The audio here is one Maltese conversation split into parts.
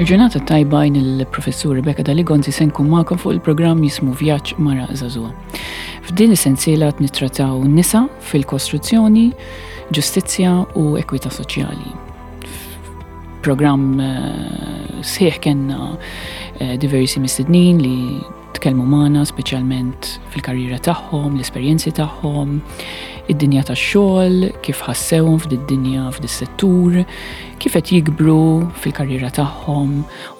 Il-ġurnata tajba jien il-professur Rebecca Daligonzi se nkun magħkom fuq il-programm jismu Vjaġġ Mara Żagħżugħa. F'din is-sensiela qed nittrattaw nisa fil-kostruzzjoni, ġustizzja u ekwità soċjali. Programm eh, sħiħ kellna eh, diversi mistednin li tkellmu magħna speċjalment fil-karriera tagħhom, l-esperjenzi tagħhom, id-dinja tax-xogħol, kif ħassewhom f'did-dinja f'dis-settur, kif qed jikbru fil-karriera tagħhom.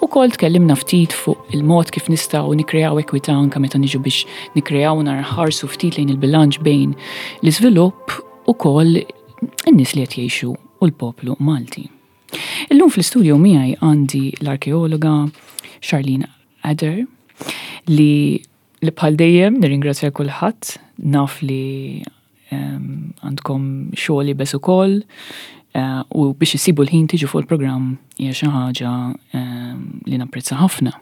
Ukoll tkellimna ftit fuq il-mod kif nistgħu nikkreaw ekwità anke meta niġu biex nikkreaw nħarsu ftit lejn il-bilanċ bejn l-iżvilupp ukoll in-nies li qed jgħixu u l-poplu Malti. Illum fl-istudio miegħi għandi l-arkeologa Charlene Adair li li bħal dejjem nirringrazzja kulħadd naf li għandkom xogħol iebes ukoll eh, u biex issibu l-ħin tiġu fuq il-programm hija xi ħaġa li napprezza ħafna.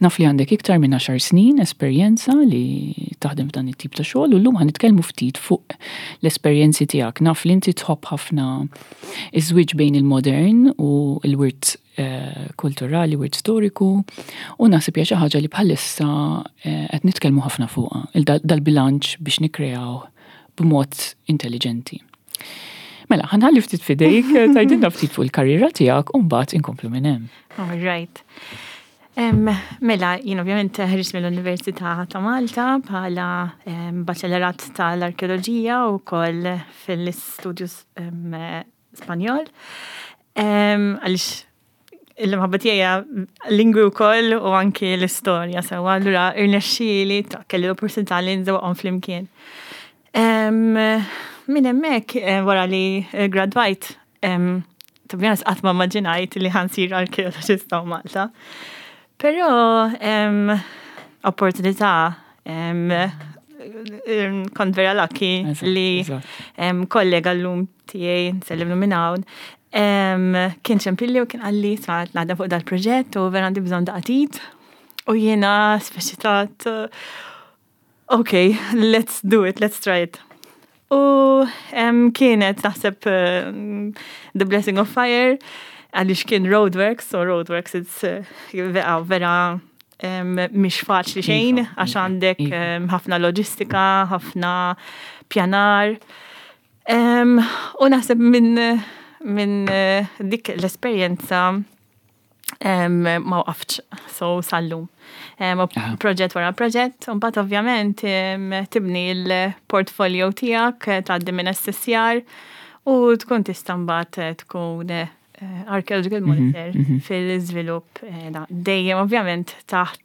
Naf li għandek iktar minn 10 snin esperjenza li taħdem f'dan it-tip ta' xogħol u llum ħa nitkellmu ftit fuq l-esperjenzi tiegħek. Naf li inti tħobb ħafna iż-żwieġ bejn il-modern u l-wirt eh, kulturali, wirt storiku, u naħseb hija xi ħaġa li bħalissa eh, qed nitkellmu ħafna fuqha, dal-bilanċ biex nikkreaw b'mod intelligenti. Mela, ħa nħalli ftit f'idejk, tgħidilna ftit fuq il-karriera tiegħek u mbagħad inkomplu minn hemm. All right. Mela, jien ovvjament ħriġt mill-Università ta' Malta bħala baċellerat tal-arkeoloġija u koll fil-istudju Spanjol. Għaliex il-mħabba tiegħi lingwi wkoll u anki l-istorja sewa, allura irnexxieli ta' kelli l-opportunità li nżewqhom flimkien. Minn hemmhekk eh, wara li gradwajt to be honest, qatt ma immaġinajt li ħa nsir arkeologista Malta. Però opportunità kont vera lucky li kollega l-lum tiegħi nsellimlu minn hawn. Kien ċempilli u kien qalli sma' naħdem fuq dal-proġett u vera għandi bżonn daqqa t'id. U jiena speċi ta' ok, let's do it, let's try it. U kienet naħseb The Blessing of Fire, għaliex kien roadworks, so roadworks it's vera vera mhix faċli xejn, għax għandek ħafna loġistika, ħafna pjanar. U naħseb minn min dik l-esperjenza ma waqaftx, so sal-lum. Proġett wara proġett, u mbagħad ovvjament tibni l-portfolio tiegħek, tgħaddi minn SSR u tkun tista' mbagħad tkun archaeological monitor fil-żvilupp dejjem ovvjament taħt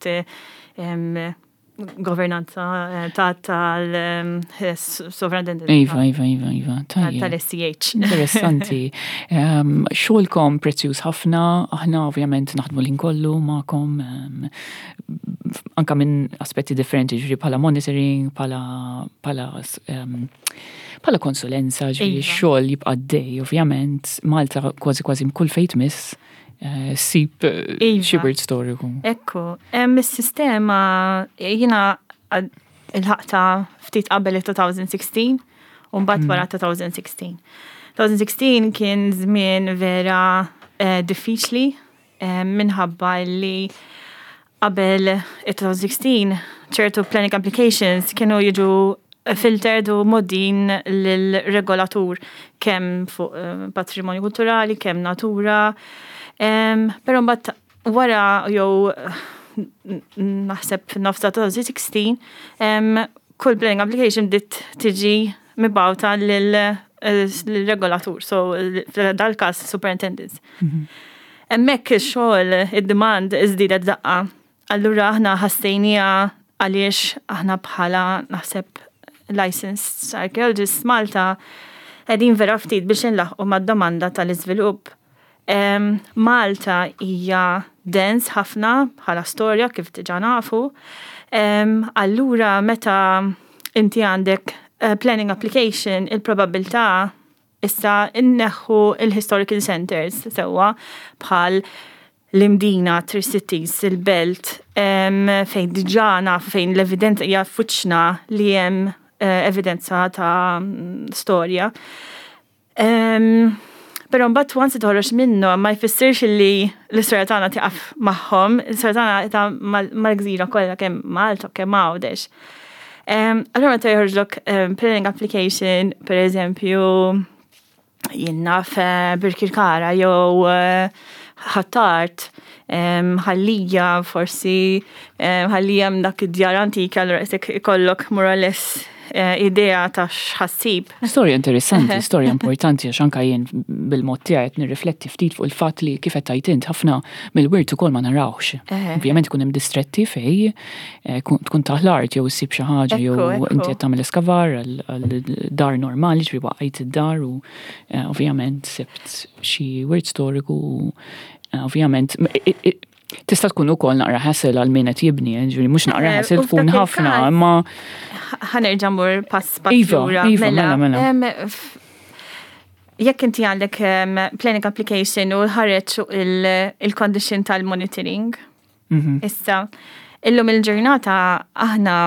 governanza ta' tal-sovrintendenza. Iva, tajjeb. Tal-SCH. Interessanti. Xogħolkom prezzjuż ħafna, aħna ovvjament naħdmu l kollu magħkom, anka minn aspetti differenti, ġifieri bħala monitoring, bħala konsulenza, ġifieri xogħol jibqa' dej, ovvjament, Malta kważi kważi kull fejn tmiss, ssib xi wirt storiku. Ekku, is-sistema jiena lħaqtha ftit qabel il-2016 u mbagħad wara 2016. 2016 kien żmien vera diffiċli minħabba li qabel il-2016 ċertu planning applications kienu jiġu filtered u mgħoddijin lill-regolatur kemm fuq patrimonju kulturali, kemm natura. Però mbagħad wara jew naħseb nofs ta' 2016 kull planning application bdiet tiġi mibgħuta lill-regolatur, so dal-każ superintendents. Hemmhekk ix-xogħol, id-demand iżdiedet daqqa. Allura aħna ħassejnija għaliex aħna bħala naħseb licensed archaeologists Malta qegħdin vera ftit biex inlaħqu mad-domanda tal-iżvilupp. Malta hija dens ħafna bħala storja kif diġà nafu. Allura meta inti għandek planning application, il-probabilità issa inneħħu il-historical centers sewwa bħal l-Imdina, Three Cities, il-Belt, fejn diġà nafu fejn l-evidenza hija f'wiċċna li hemm evidenza ta' storja. Però mbagħad once toħroġ minnu ma jfissirx li l-istorja tagħna tieqaf magħhom, l-istorja tagħna ta' mal-gżira kollha kemm Malta kemm Għawdex. Allura meta joħorġlok planning application, per eżempju, jien naf Birkirkara jew Ħ'Attard, Ħal Lija, forsi Ħal Lija hemm dak id-djar antiki, allura qisek ikollok more or less idea ta' x'ħa ssib. Storja interessanti, storja importanti, għax anka jien bil-mod tiegħi qed nirrifletti ftit fuq il-fatt li kif qed tgħid int ħafna mill-wirt ukoll ma narawx. Ovvjament ikun hemm distretti fej tkun taħt l-art jew issib xi ħaġa jew inti qed tagħmel eskavar għal dar normali, ġifieri waqajt id-dar u ovvjament sibt xi wirt storiku u ovvjament tista' tkun ukoll naqra hassle għal min qed jibni, ġifieri mhux naqra hassle tkun ħafna, imma Ħa nerġa' mmur pass pass Iva, lura. iva, mela, mela. Jekk inti għandek planning application u ħareġ il-condition tal-monitoring. Issa, illum il-ġurnata aħna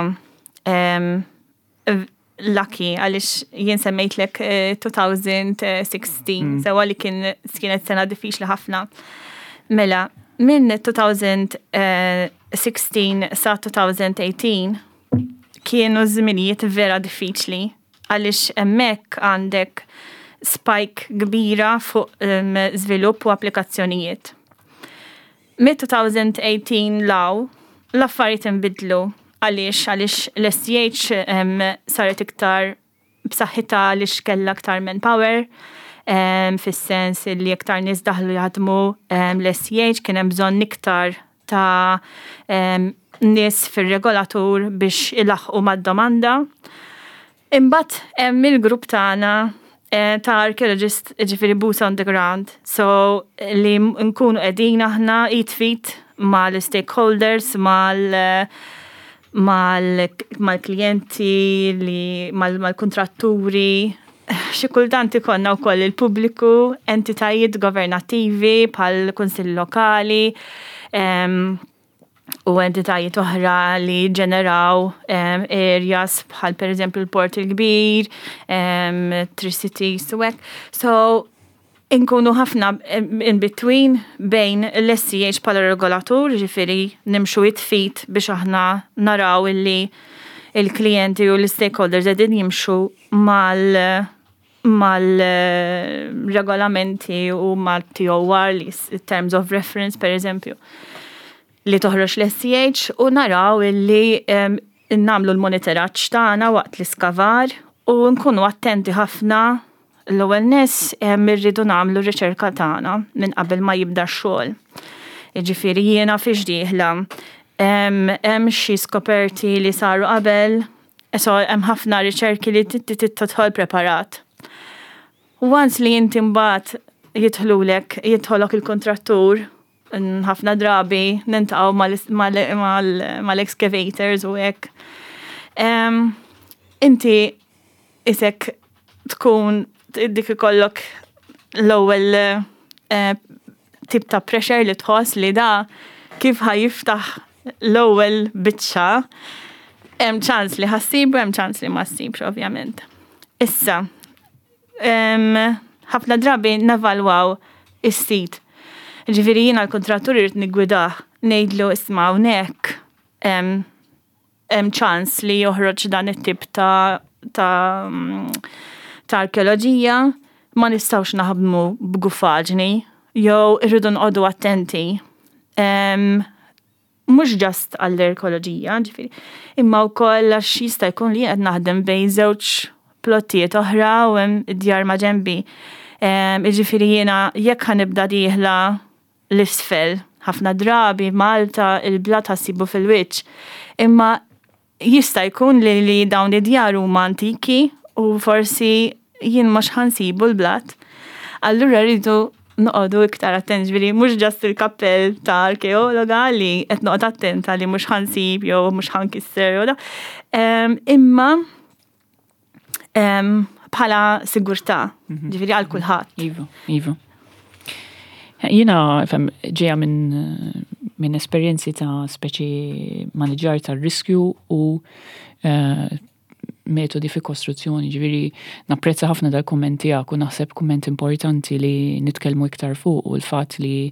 lucky għaliex jien semmejtlek 2016, sewa li kienet sena diffiċli ħafna. Mela, minn 2016 sa 2018 kienu żminijiet vera diffiċli għaliex hemmhekk għandek spike kbira fuq żvilupp u applikazzjonijiet. Mid-2018 'l hawn, l-affarijiet inbidlu għaliex l-SCH saret iktar b'saħħitha għaliex kellha aktar manpower, fis-sens li iktar nies daħlu jaħdmu l-SCH, kien hemm bżonn iktar ta' nies fir-regolatur biex ilaħqu mad-domanda. Imbagħad hemm il-grupp tagħna ta' archaeologist, ġifieri boots on the ground, so li nkunu qegħdin aħna id f'id mal-stakeholders, mal-klijenti, li mal-kontratturi, xi kultant ikollna wkoll il-pubbliku, entitajiet governattivi bħal kunsill lokali, u entitajiet oħra li ġeneraw areas bħal per eżempju l-Port il-Kbir, Tri-Cities u hekk. So, inkunu ħafna in between bejn l-SCH bħala regolatur, ġifieri nimxu id f'id biex aħna naraw illi il-klijenti u l-stakeholders qegħdin jimxu mal-regolamenti u mal-TOR, li Terms of Reference per eżempju, li toħroġ l-SCH u naraw illi nagħmlu l-monitoraġġ tagħna waqt l-iskavar u nkunu attenti ħafna. L-ewwel nett irridu nagħmlu riċerka tagħna minn qabel ma jibda x-xogħol. Jiġifieri jiena fiex dieħla, hemm xi skoperti li saru qabel, so hemm ħafna riċerki li tidħol preparat. Once li inti mbagħad jidħlulek, jidħolok il-kontrattur, ħafna drabi niltaqgħu mal-excavators u hekk. Inti isek tkun dik ikollok l-ewwel tip ta' pressure li tħoss li da kif ħa jiftaħ l-ewwel biċċa, hemm ċans li ħa ssib u hemm ċans li ma ssibx ovvjament. Issa, ħafna drabi nevalwaw is-sit. Ġifieri jiena l-kontrattur irrid niggwidah, ngħidlu isma' hawnhekk hemm ċans li joħroġ dan it-tip ta' arkeoloġija, ma nistgħux naħdmu b'gufaġni, jew irridu noqogħdu attenti. Mhux just għall-arkeoloġija, ġifieri, imma wkoll għax jista' jkun li qed naħdem bejn żewġ plottijiet oħra u hemm id-djar ma' ġenbi. Jiġifieri jiena jekk ħa nibda dieħla l-isfel, ħafna drabi Malta il-blat ħa ssibu fil-wiċċ. Imma jista' jkun li dawn id-djar huma antiki u forsi jien mhux ħa nsibu l-blat. Allura rridu noqogħdu iktar attenti, ġifieri mhux just il-kappell ta' arkeologa li qed noqgħod attenta li mhux ħa nsib jew mhux ħa nkisser jew da. Imma bħala sigurtà, ġifieri għal kulħadd. Iva, iva. Jiena fem ġeja minn esperjenzi ta' speċi maniġar ta' riskju u metodi fi kostruzzjoni, ġifieri napprezza ħafna dal-kumment tiegħek u naħseb kumment importanti li nitkellmu iktar fuq u l-fatt li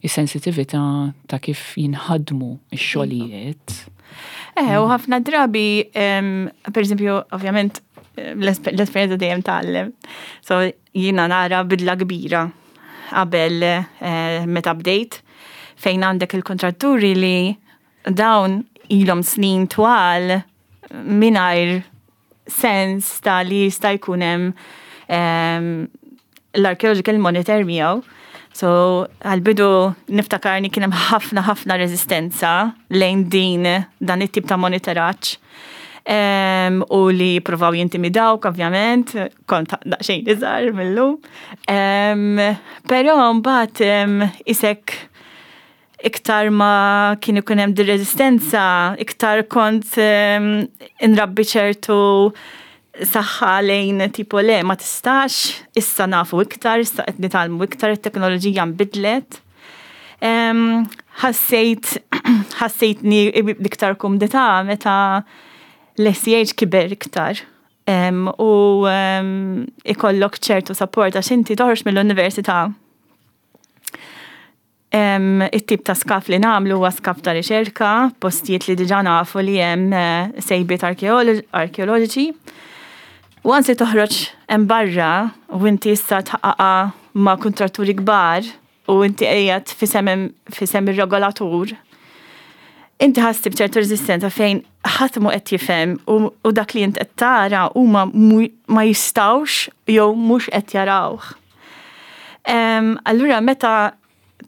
s-sensitività ta' kif jinħadmu x-xogħlijiet. Eh, u ħafna drabi, per eżempju, ovvjament, l-esperjenza dejjem tgħallem. So jiena nara bidla kbira qabel eh, meta bdejt fejn għandek il-kontratturi li dawn ilhom snin twal mingħajr sens ta' li jista' jkun hemm l-archaeological monitor miegħu. So, għal-bidu niftakarni kien hemm ħafna ħafna reżistenza lejn din dan it-tip ta' monitoraġġ. U li provaw jintimidawk, ovvjament, kont daqsxejn iżgħar mill-lum. Però mbagħad isek iktar ma kien ikun hemm dir-reżistenza, iktar kont inrabbi ċertu saħħa lejn tipo le ma tistax, issa nafu iktar, issa qed nitgħallmu iktar, it-teknoloġija nbidlet. Ħassejt ħassejtni b'iktar kumdità meta l-SCH kiber iktar u ikollok ċertu support għax inti toħroġ mill-università. It-tip ta' skaf li nagħmlu huwa skaf ta' riċerka, postijiet li diġà nafu li hemm eh, sejbiet arkeoloġiċi. Once li toħroġ hemm barra u inti issa tħaqqaqa ma' kuntratturi kbar u inti qiegħed fisem ir-regolatur, inti ħassib ċertu reżistenza fejn ħadd mhu qed jifhem u dak li int qed tara huma ma jistgħux jew mhux qed jarawh. Allura meta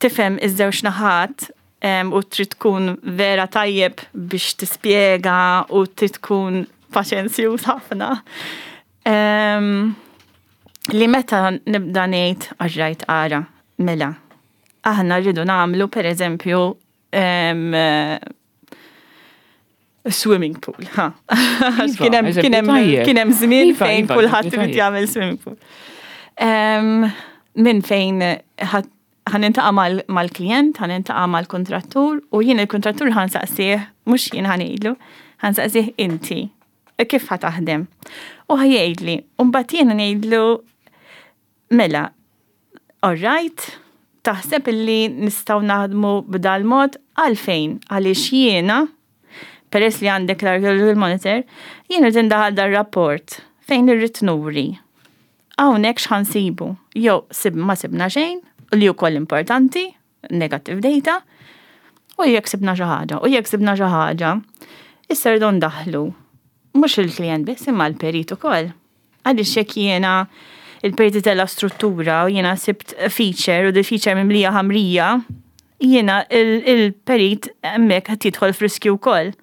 tifhem iż-żewġ naħat u trid tkun vera tajjeb biex tispjega u trid tkun paċenzjuż ħafna. Li meta nibda ngħid għax ara, mela, aħna rridu nagħmlu pereżempju swimming pool, ha. Iva, kien hemm żmien iva, fejn iva, kulħadd irid jagħmel swimming pool. Minn fejn ħa niltaqa' mal-klient, ħa niltaqa' mal-kontrattur u jien il-kontrattur ħa nsaqsih, mhux jien ħa ngħidlu, ħa nsaqsih inti, kif ħa taħdem. U ħa jgħidli, u mbagħad jiena ngħidlu mela, all right, taħseb illi nistgħu naħdmu b'dal mod għalfejn, għaliex jiena, peress li għandek l-archaeological monitor, jien rrid indaħal dar-rapport fejn irrid nuri. Hawnhekk x'ħa nsibu, jew sib ma sibna xejn, li wkoll importanti, negative data, u jekk sibna xi ħaġa, u jekk sibna xi ħaġa, issa rridu ndaħlu mhux il-klient biss imma l-perit ukoll. Għaliex jekk jiena il-perit tella struttura u jiena sibt feature u di feature mimlija ħamrija, jiena il-perit hemmhekk qed jidħol f'riskju wkoll.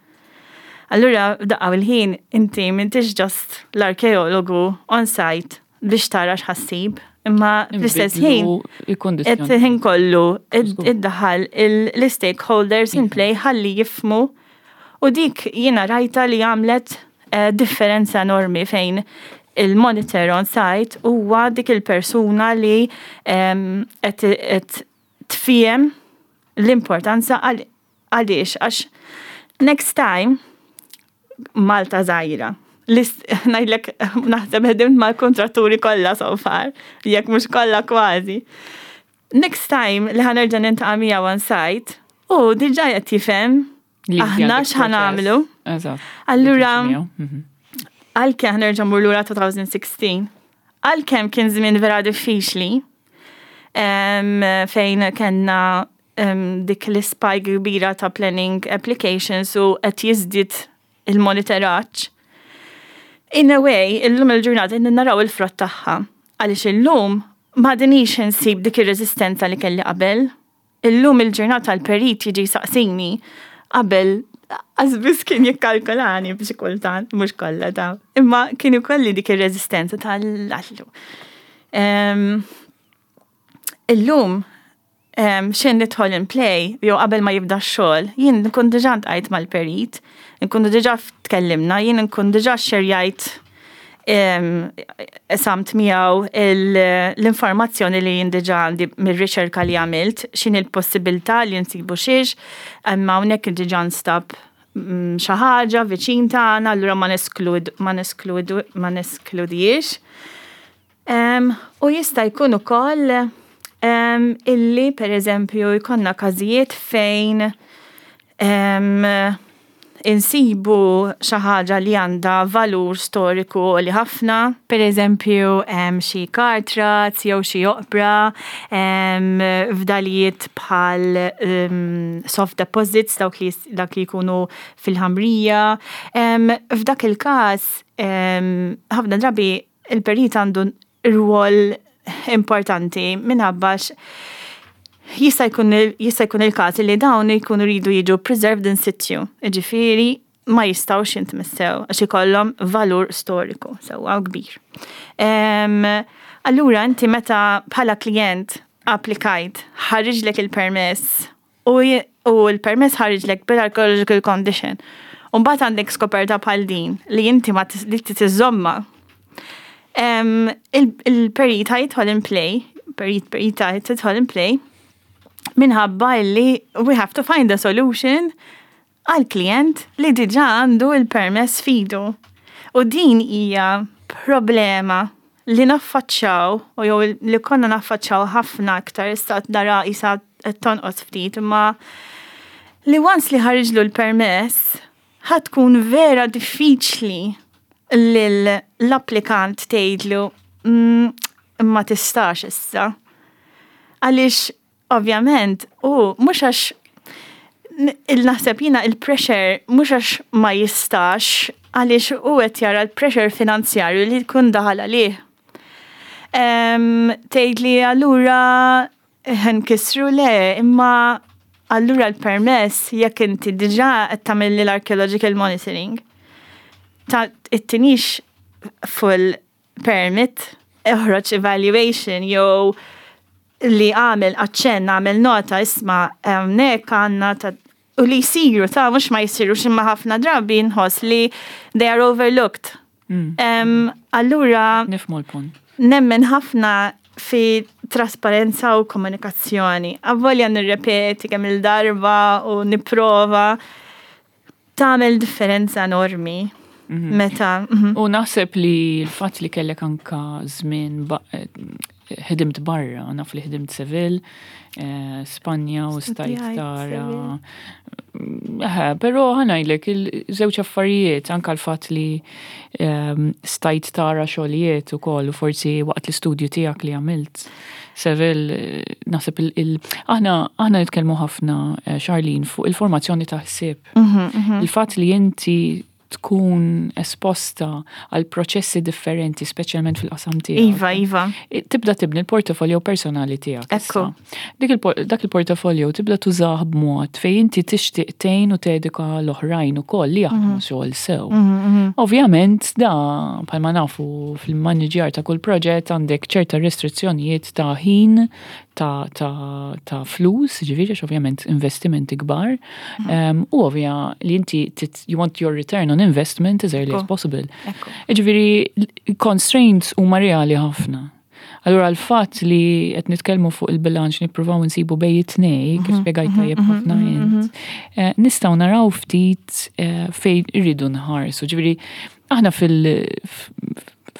Allura f'daqqa il-ħin inti m'intix just l-arkeologu on site biex tara x'ħa ssib, imma fl-istess ħin qed ħin kollu iddaħħal l-stakeholders in play ħalli jifhmu u dik jiena rajta li għamlet eh, differenza enormi fejn il-monitor on site huwa dik il-persuna li qed tfiem l-importanza għaliex għax next time Malta żgħira. Ngħidlek naħseb ħedimt mal-kontratturi kollha so far, jekk mhux kollha kważi. Next time li ħa nerġa' niltaqa' miegħu on site, u diġà qed jifhem aħna x'ħa nagħmlu. Allura, għalkemm ħa nerġa' mmur lura 2016, għalkemm kien żmien vera diffiċli, fejn kellna dik l-spike kbira ta' planning applications u qed jiżdied il-monitoraġġ. In a way, illum il-ġurnata naraw il-frott tagħha. Għaliex illum m'għadnix insib dik ir-reżistenza li kelli qabel. Illum il-ġurnata l-perit jiġi saqsini qabel għazbis kien jikkalkulani biex kultant, mhux kollha ta' imma kien ikolli dik ir-reżistenza tal-allu. Illum xejn nidħol in play, jew qabel ma jibda x-xogħol, jien nkun diġà ltqajt mal-perit, nkunu diġà tkellimna, jien nkun diġà xerjajt samt miegħu l-informazzjoni li jien diġà għandi mir-riċerka li għamilt, x'inhi l-possibilità li nsibu xiex, imma hawnhekk diġà nstab xi ħaġa viċin tagħna, allura ma nesklud ma nesklud ma neskludijiex. U jista' jkun ukoll illi pereżempju jkollna każijiet fejn insibu xi ħaġa li għandha valur storiku għoli ħafna, pereżempju xi cart ruts jew xi oqbra, fdalijiet bħal soft deposits dawk li dak li jkunu fil-ħamrija. F'dak il-każ ħafna drabi il-perit għandu rwol importanti minħabba jista' jkun jista' jkun il-każ li dawn jkunu jridu jiġu preserved in situ, jiġifieri ma jistgħux jintmissew għax ikollhom valur storiku sewwa kbir. Allura inti meta bħala klijent applikajt, ħariġlek il-permess u l-permess ħariġlek bil-archaeological condition. U mbagħad għandek skoperta bħal din li inti ma li tiżomma. Il-perit jidħol in play, perit perita tidħol in play, minħabba illi we have to find a solution għal klient li diġa għandu il-permess f'idu. U din hija problema li naffaċċaw, u jew li konna naffaċċaw ħafna aktar issa nara isa tonqos ftit, imma li once li ħariġlu l-permess, ħa tkun vera diffiċli l-applikant tgħidlu ma tistax issa. Għaliex ovvjament u mhux għax il-naħseb jiena il-pressure mhux għax ma jistax għaliex u qed jara l-pressure finanzjarju li jkun daħal għalih. Tgħid li allura nkissru le, imma allura l-permess jekk inti diġà qed tagħmel l-archaeological monitoring ta' ittinix full permit, oħroġ evaluation jew li għamel aċċenn, għamel nota isma' hawnhekk għandna ta' u li jsiru ta' mhux ma jsirux imma ħafna drabi nħoss li they are overlooked. Allura Nifhmu l-punt. Nemmen ħafna fi trasparenza u komunikazzjoni. Avolja nirrepeti kemm il-darba u nipprova tagħmel differenza enormi meta. U naħseb li l-fatt li kellek anka żmien ħdimt barra, naf li ħdimt Seville, Spanja u stajt Studjajt tara. Però ħa ngħidlek il-żewġ affarijiet, anka l-fatt li stajt tara xogħlijiet ukoll u forsi waqt l-istudju tiegħek li għamilt Seville, naħseb aħna nitkellmu ħafna, Charlene, fuq il-formazzjoni ta' ħsieb. Il-fatt li inti tkun esposta għal proċessi differenti, speċjalment fil-qasam tiegħek. Iva, iva. Tibda tibni l-portfolio personali tiegħek. Ekku. Dak il-portfolio tibda tużah b'mod fejn inti tixtieq tgħin u tedika l-oħrajn ukoll li jaħdmu xogħol sew. Ovvjament da bħalma nafu fil-maniġjar ta' kull proġett għandek ċerta restrizzjonijiet ta' ħin, ta' flus, ġifieri għax ovvjament investimenti kbar, u ovvja li inti you want your return on investment as early as possible. Ġifieri constraints huma reali ħafna. Allura l-fatt li qed nitkellmu fuq il-bilanċ nippruvaw nsibu bejn it-tnej, kif spjegajt tajjeb ħafna int, nistgħu naraw ftit fejn irridu nħarsu. Ġifieri aħna fil-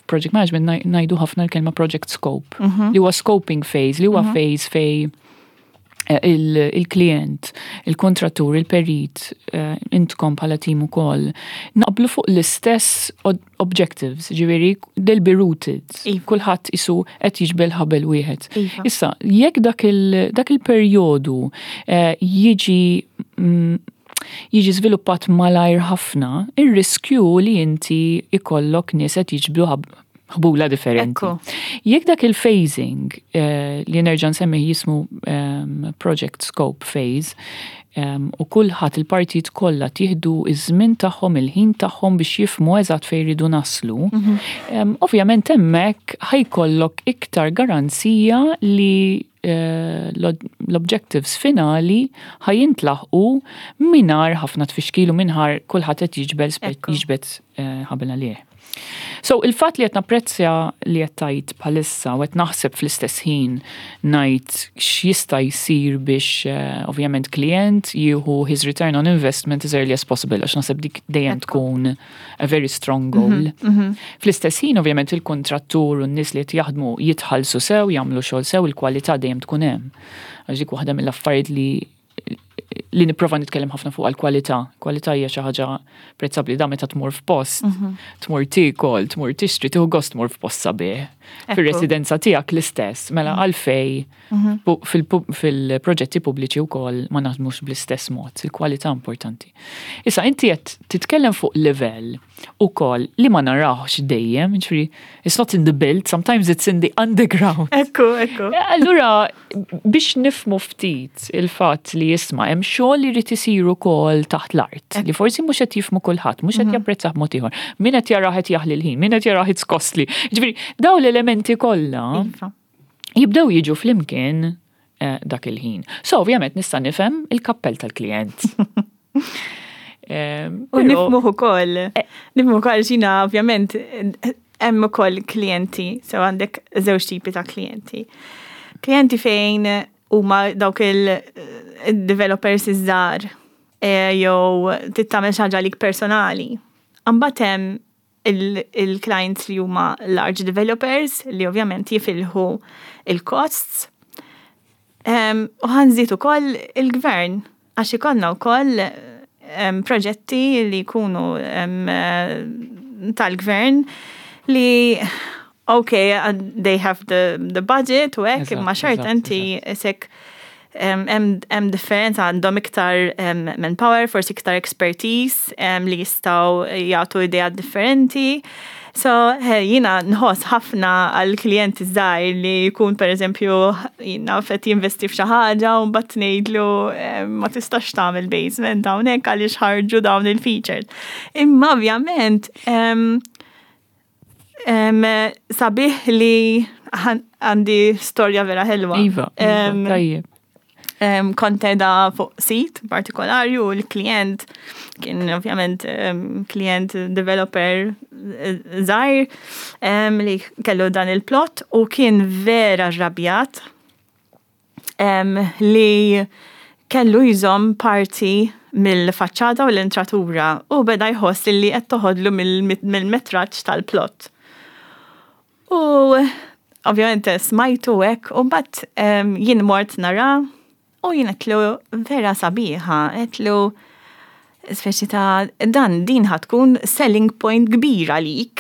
project management ngħidu ħafna l-kelma project scope, li huwa scoping phase, li huwa phase fej il-klient, il-kontrattur, il-perit, intkom bħala team ukoll, naqblu fuq l-istess objectives, ġifieri they'll be rooted. Kulħadd isu qed jiġbel ħabel wieħed. Issa, jekk dak il-perjodu jiġi żviluppat malajr ħafna, ir-riskju li inti ikollok nies qed jiġbdu ħbula differenti. Jekk dak il-phasing li nerġa' nsemmi jismu project scope phase, u kulħadd il-partijiet kollha tieħdu iż-żmien tagħhom, il-ħin tagħhom biex jifhmu eżatt fejn jridu naslu, ovvjament hemmhekk ħa jkollok iktar garanzija li l-objectives finali ħa jintlaħqu mingħajr ħafna tfixkil u mingħajr kulħadd qed jiġbed ħabel għalih. So, il-fatt li qed napprezzja li qed tgħid bħalissa u qed naħseb fl-istess ħin ngħid x'jista' jsir biex ovvjament klient jieħu his return on investment as early as possible, għax naħseb dik dejjem tkun a very strong goal. Fl-istess ħin, ovvjament, il-kontrattur u n-nies li qed jaħdmu jitħallsu sew, jagħmlu xogħol sew, il-kwalità dejjem tkun hemm. Għax dik waħda mill-affarijiet li nipprova nitkellem ħafna fuq għal-kwalità. Kwalità hija xi ħaġa prezzabbli da meta tmur f'post, tmur tiekol, tmur tixtri, tieħu gost tmur f'post sabiħ. Fir-residenza tiegħek l-istess, mela għalfej fil-proġetti pubbliċi wkoll ma naħdmux bl-istess mod, il-kwalità importanti. Issa inti qed titkellem fuq livell ukoll li ma narawx dejjem, ġifieri it's not in the build, sometimes it's in the underground. Ekku. Allura, biex nifhmu ftit il-fatt li jisma' hemm xogħol li jrid isir ukoll taħt l-art, li forsi mhux qed jifhmu kulħadd, mhux qed japprezzah b'mod ieħor. Min qed jarah qed jaħli l-ħin, min qed jarah it's costly. Ġifieri, daw l-elementi kollha jibdew jiġu flimkien dak il-ħin. So, ovvjament nista' nifhem il-kappell tal-klient. U nifhmuh ukoll. Nifhmu ukoll xina ovvjament hemm ukoll klijenti, so għandek żewġ tipi ta' klijenti. Klijenti fejn huma dawk il-developers iż-żgħar jew tittamel xi ħaġa lik personali. Imbagħad hemm il-clients li huma large developers li ovvjament jifilħu il-costs. U ħa nżid ukoll il-gvern, għax ikollna wkoll proġetti li jkunu tal-gvern li okay, they have the budget u hekk, imma xorta inti isek hemm differenza, għandhom iktar manpower, forsi iktar expertise li jistgħu jagħtu idea differenti. So, jiena nħoss ħafna għal klijenti żgħir li jkun, per eżempju, jiena qed jinvesti f'xi ħaġa u mbagħad ngħidlu ma tistax tagħmel basement hawnhekk għaliex ħarġu dawn il-features. Imma ovvjament sabiħ li għandi storja vera ħelwa. Iva, tajjeb. Kont qiegħda fuq sit partikolari u l-klient kien ovvjament klient developer żgħir li kellu dan il-plot u kien vera rrabjat li kellu jżomm parti mill-faċċata u l-entratura u beda jħoss li qed toħodlu mill-metraġġ tal-plot. U ovvjament smajtu hekk u mbagħad jien mort nara u jien għedtlu vera sabiħa, għedtlu speċi ta' dan din ħa tkun selling point kbira lik.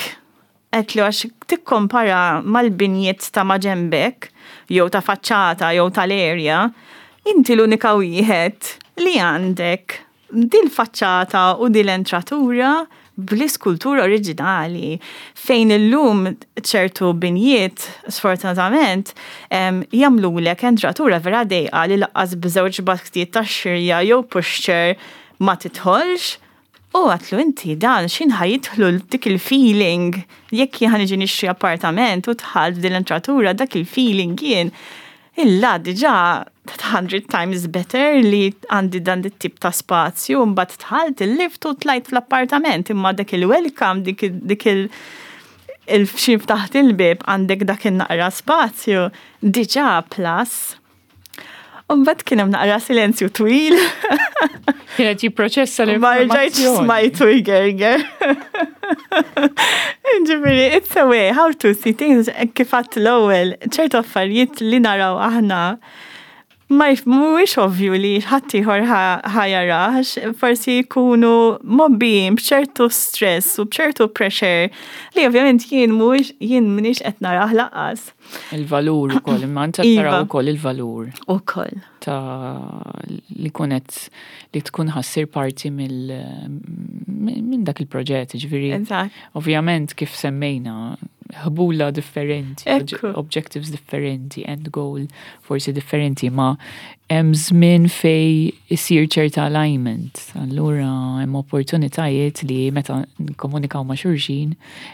Għedtlu għax tikkompara mal-binjiet ta' maġembek, jew ta' faċċata, jew tal-area, inti l-unika wieħed li għandek dil-faċċata u dil-entratura bl-iskultura oriġinali, fejn illum ċertu binjiet, sfortunatament, jagħmlulek entratura vera dejqa li lanqas b'żewġ basktijiet ta' xirja jew pushchair ma tidħolx. U għedtlu inti dan xin ħa jidħlu dik il-feeling, jekk jien niġi nixtri appartament u dħalt din l-entratura, dak il-feeling jien illa diġà 100 times better li għandi dan it-tip ta' spazju, mbagħad dħalt il-lift u tlajt fl-appartament, imma dak il-welcome, dik il-xi ftaħt il-bib għandek dak il-naqra spazju, diġà plus. U mbagħad kien hemm naqra silenzju twil. Kienet jipproċessa Ma rġajtx l-informazzjoni. Smajtu jgerger. Ġifieri, it's a way how to see things, kif għedt l-ewwel, ċertu affarijiet li naraw aħna ma mhuwiex ovvju li ħadd ieħor ħa jarax, forsi jkunu mgħobbijin b'ċertu stress u b'ċertu pressure li ovvjament jien mhuwiex, jien m'iniex qed narah lanqas. Il-valur ukoll, imma inti tara wkoll il-valur Ukoll. Ta' li kunet li tkun ħa ssir parti minn dak il-proġett, ġifieri. Ovvjament kif semmejna, ħbula differenti, objectives differenti, end goal forsi differenti, ma Hemm żmien fej isir ċerta alignment. Allura hemm opportunitajiet li meta nkomunikaw ma' xulxin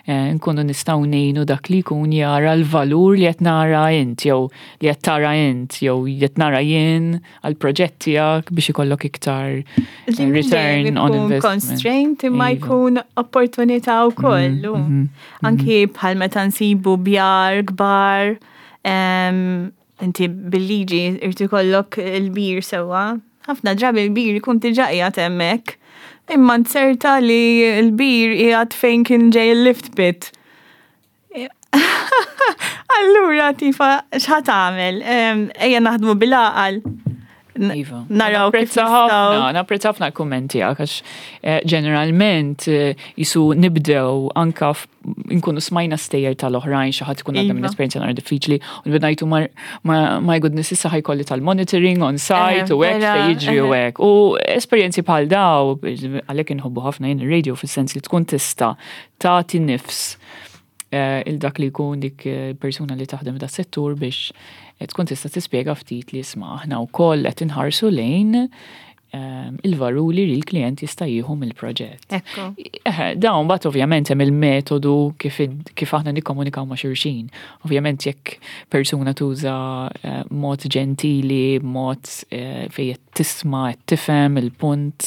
eh, nkunu nistgħu ngħinu dak li jkun jara l-valur li qed nara int jew li qed tara int jew qed nara jien għal proġett tiegħek biex ikollok iktar eh, return on investment. Constraint imma Iva. jkun opportunità wkoll. Anki bħal meta nsibu bjar kbar, inti bil-liġi irti kollok il-bir sewwa. Ħafna drabi il-bir ikun diġà qiegħed hemmhekk. Imma nserta li l-bir qiegħed fejn kien ġej il-lift pit. Allura tifa x'ħa tagħmel? Ejja naħdmu bil-għaqal. Iva. Naraw kif Napprezza ħafna, napprezza ħafna l-kummenti tiegħek għax eh, ġeneralment eh, jisu nibdew anka nkunu smajna stejjer tal-oħrajn xi ħadd ikun għadda minn Iva. esperjenza nara diffiċli u nibdew ngħidu my goodness issa ħajkolli tal-monitoring on site Eh, u hekk vera, se jiġri u hekk. U esperjenzi bħal daw għalhekk inħobbu ħafna jien ir-radio fis-sens li tkun tista' tagħti nifs il dak li jkun dik persuna li taħdem da settur biex tkun tista' tispjega ftit li isma' aħna wkoll qed inħarsu lejn il-valuri li l-klient jista' jieħu mill-proġett. Ekku. Dawn bat ovvjament hemm il-metodu kif aħna nikkomunikaw ma' xulxin. Ovvjament jekk persuna tuża mod ġentili, mod fejn qed tisma' qed tifhem il-punt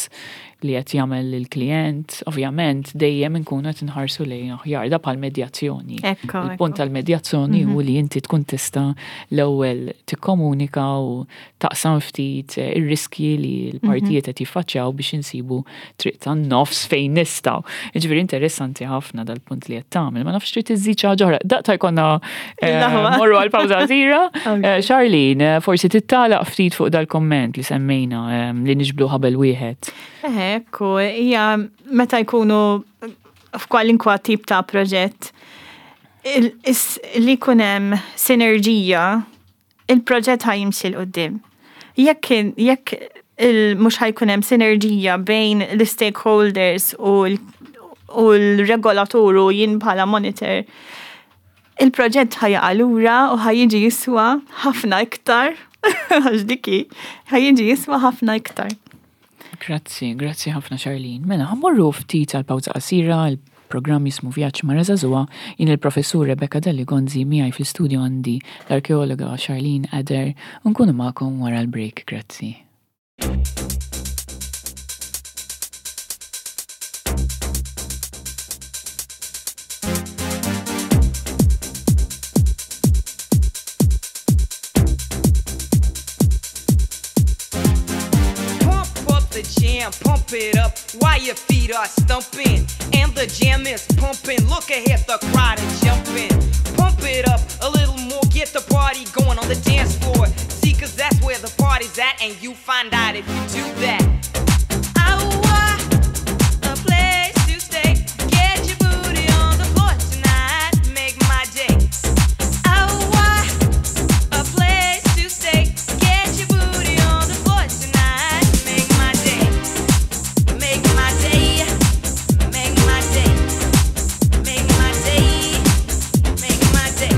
li qed jagħmel il-klient, ovvjament dejjem inkunu qed inħarsu lejn aħjar da bħal medjazzjoni. Il-punt tal-medjazzjoni hu li inti tkun tista' l-ewwel tikkomunika u taqsam ftit ir-riskji li l-partijiet qed jiffaċċjaw biex insibu triq tan-nofs fejn nistgħu. Jiġifieri interessanti ħafna dal-punt li qed tagħmel. Ma nafx trid iżid xi ħaġa oħra. Daqta jkollna Il-aħwa. morru għal pawża qasira. Charlene, forsi tittalaq ftit fuq dal-komment li semmejna li niġbdu ħabel wieħed. Ekku, hija meta jkunu f'kwalinkwa tip ta' proġett li jkun hemm sinerġija, il-proġett ħa jimxi 'l quddiem. Jekk mhux ħa jkun hemm sinerġija bejn l-stakeholders u l-regolatur u jien bħala monitor, il-proġett ħa jaqa' lura u ħa jiġi jiswa ħafna iktar. Għax diki, ħa jiġi jiswa ħafna iktar. Grazzi, grazzi ħafna Charlene. Mela, ħa mmorru ftit għal pawża qasira, il-programm jismu Vjaġġ Mara Żagħżugħa, jien il-professur Rebecca Delli Gonzi, miegħi fl-istudio għandi l-arkeologa Charlene Adair, u nkunu magħkom wara l-break, grazzi. Pump up the jam, pump it up while your feet are stumping. And the jam is pumping. Look ahead, the crowd is jumping. Pump it up a little more, get the party going on the dance floor. See, because that's where the party's at, and you find out if you do that. I want a place to stay. Get your booty on the floor tonight, make my day. I want a place to stay. Get your booty on the floor tonight, make my day. Make my day. Make my day. Make my day. Make my day.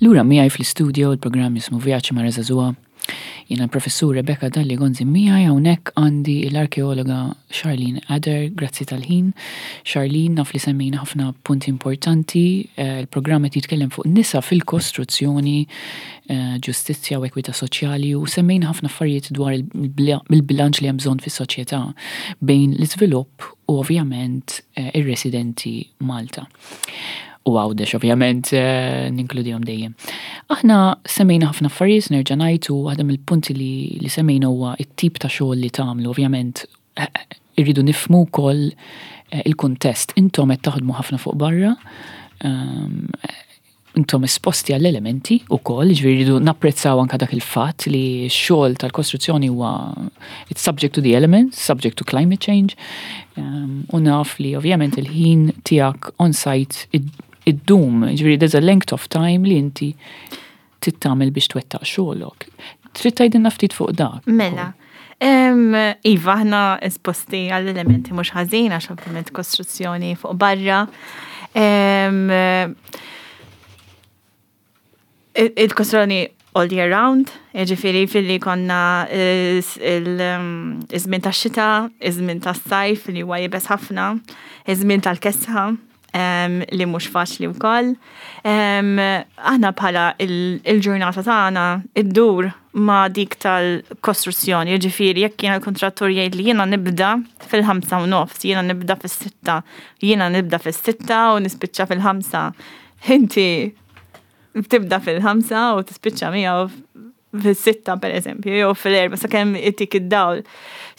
Lura miegħi fl-istudio il-programm jismu Vjaġġ Mara Żagħżugħa. Jiena l-Professur Rebecca Dalli Gonzi miegħi hawnhekk għandi l-arkeologa Charlene Adder, grazzi tal-ħin. Charlene, naf li semmejna ħafna punti importanti, il-programm qed jitkellem fuq nisa fil-kostruzzjoni, ġustizzja u ekwità soċjali u semmejna ħafna affarijiet dwar il-bilanċ li hemm bżonn fis-soċjetà bejn l-iżvilupp u ovvjament ir-residenti Malta. U Għawdex ovvjament ninkludihom dejjem. Aħna semmejna ħafna affarijiet nerġa' ngħid u waħda mill-punti li, li semmejna huwa t-tip ta' xogħol li tagħmlu. Ovvjament irridu nifhmu wkoll il-kuntest. Intom qed taħdmu ħafna fuq barra, intom esposti għall-elementi wkoll, jiġifieri rridu napprezzaw anke dak il-fatt li x-xogħol tal-kostruzzjoni huwa it's subject to the elements, subject to climate change. U naf li ovvjament il-ħin tiegħek on site iddum, jiġifieri there's a length of time li inti trid tagħmel biex twettaq xogħolok. Trid tgħidilna ftit fuq dak. Mela. Iva, aħna esposti għall-elementi mhux ħażin għax ovvjament kostruzzjoni fuq barra. Il-kostruzzjoni all year round, jiġifieri filli konna iż-żmien tax-xita, iż-żmien tas-sajf li huwa iebes ħafna, iż-żmien tal-kesħa li mhux faċli wkoll. Aħna bħala il-ġurnata tagħna iddur ma' dik tal-kostruzzjoni, jiġifieri jekk jiena l-kuntrattur jgħid li jiena nibda fil-5:30, jiena nibda fis-6, jiena nibda fis-6 u nispiċċa fil-5. Inti tibda fil-5 u tispiċċa miegħu fis-6 per eżempju, jew fil-4 sakemm itik id-dawl.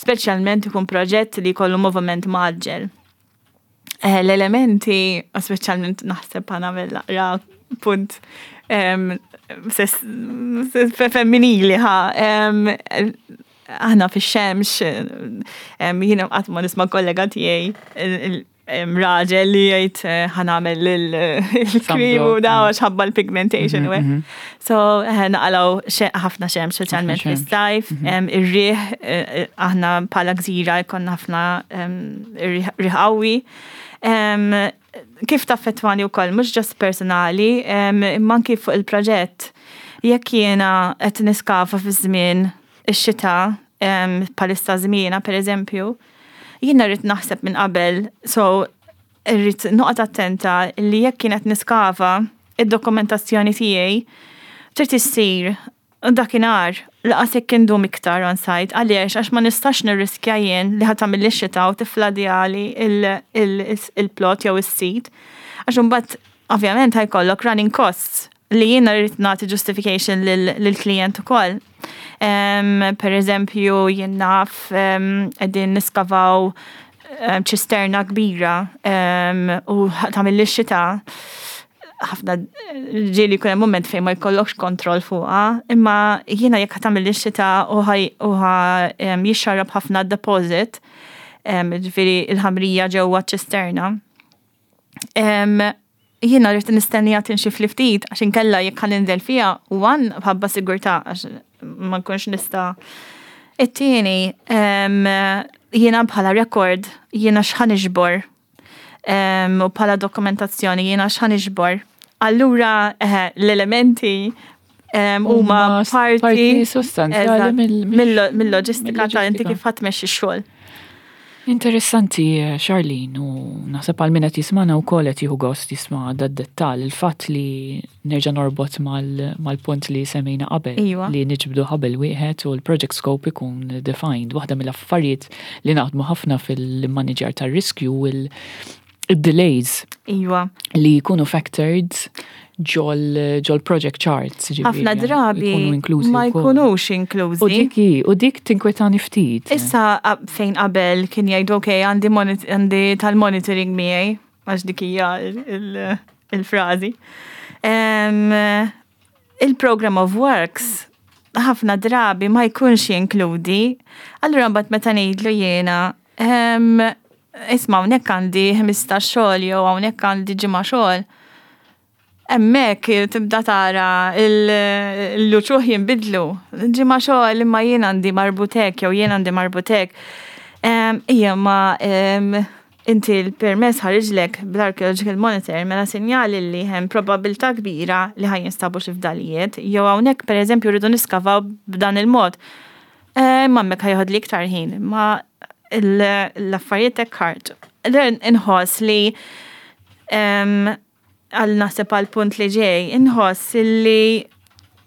Speċjalment ikun proġett li jkollu moviment mgħaġġel. L-elementi, speċjalment naħseb ħa nagħmel naqra punt femminili ħa, aħna fix-xemx, jiena qatt ma nisma' kollega tiegħi raġel li jgħid ħa nagħmel il-cream u daw għax ħabba l-pigmentation. So naqalgħu ħafna xemx, speċjalment fis-sajf, ir-riħ, aħna bħala gżira jkollna ħafna riħ qawwi. Kif taffettwani wkoll, mhux just personali, imma anki fuq il-proġett. Jekk jiena qed niskava fi żmien ix-xita, bħalissa żmiena per eżempju, jiena rrid naħseb minn qabel, so rrid noqgħod attenta li jekk kienet niskava id-dokumentazzjoni tiegħi trid issir dakinhar laqas jekk indum iktar on site. Għaliex? Għax ma nistax nirriskja jien li ħa tagħmel ix-xita u tifladjali il-plot jew is-sit. Għax imbagħad ovvjament ħa jkollok running costs li jiena rrid nagħti justification lill-klient ukoll. Per eżempju, jien naf qegħdin niskavaw ċisterna kbira u tagħmel ix-xita, ħafna ġieli jkun hemm moment fejn ma jkollokx kontroll fuqha, imma jiena jekk tagħmel ix-xita u ħa jixxarrab ħafna deposit, ġifieri il-ħamrija ġewwa ċisterna. Jiena rrid nistennija tinxif li ftit għax inkella jekk ħa ninżel fiha one bħabba sigurtà għax ma nkunx nista'. It-tieni, jiena bħala record jiena x'ħa niġbor u bħala dokumentazzjoni jiena x'ħa niġbor. Allura l-elementi huma parti sostanzjali mill-loġistika ta' inti kif ħa tmexxi x-xogħol. Interessanti, Charlene, u naħseb għal min qed jismana wkoll qed jieħu gost jisma' dad-dettall, il-fatt li nerġa' norbot mal-punt li semmejna qabel, li niġbdu ħabel wieħed u l-project scope ikun defined. Waħda mill-affarijiet li naħdmu ħafna fil-manager tar-riskju u il-delays li jkunu factored ġol project charts. Ħafna drabi ma jkunux inklużi. U dik tinkwetani ftit. Issa fejn qabel kien jgħidu ok, għandi tal-monitoring miegħi, għax dik hija il-frażi. Il-program of works ħafna drabi ma jkunx jinkludi. Allura mbagħad meta ngħidlu jiena, isma', hawnhekk għandi 15 xogħol jew hawnhekk għandi ġimgħa xogħol. Hemmhekk tibda tara l-uċuħ jinbidlu. Ġimgħa xogħol imma jien għandi marbut hekk jew jien għandi marbut hekk. Ija ma Inti l-permess ħariġlek bl-archaeological monitor mela sinjali li hemm probabilità kbira li ħa jinstabu xi fdalijiet, jew hawnhekk pereżempju rridu niskavaw b'dan il-mod. Eh, imma hemmhekk ħa joħodli iktar ħin, imma l-affarijiet hekk ħarġu. Inħoss li għal naħseb għal punt li ġej, inħoss li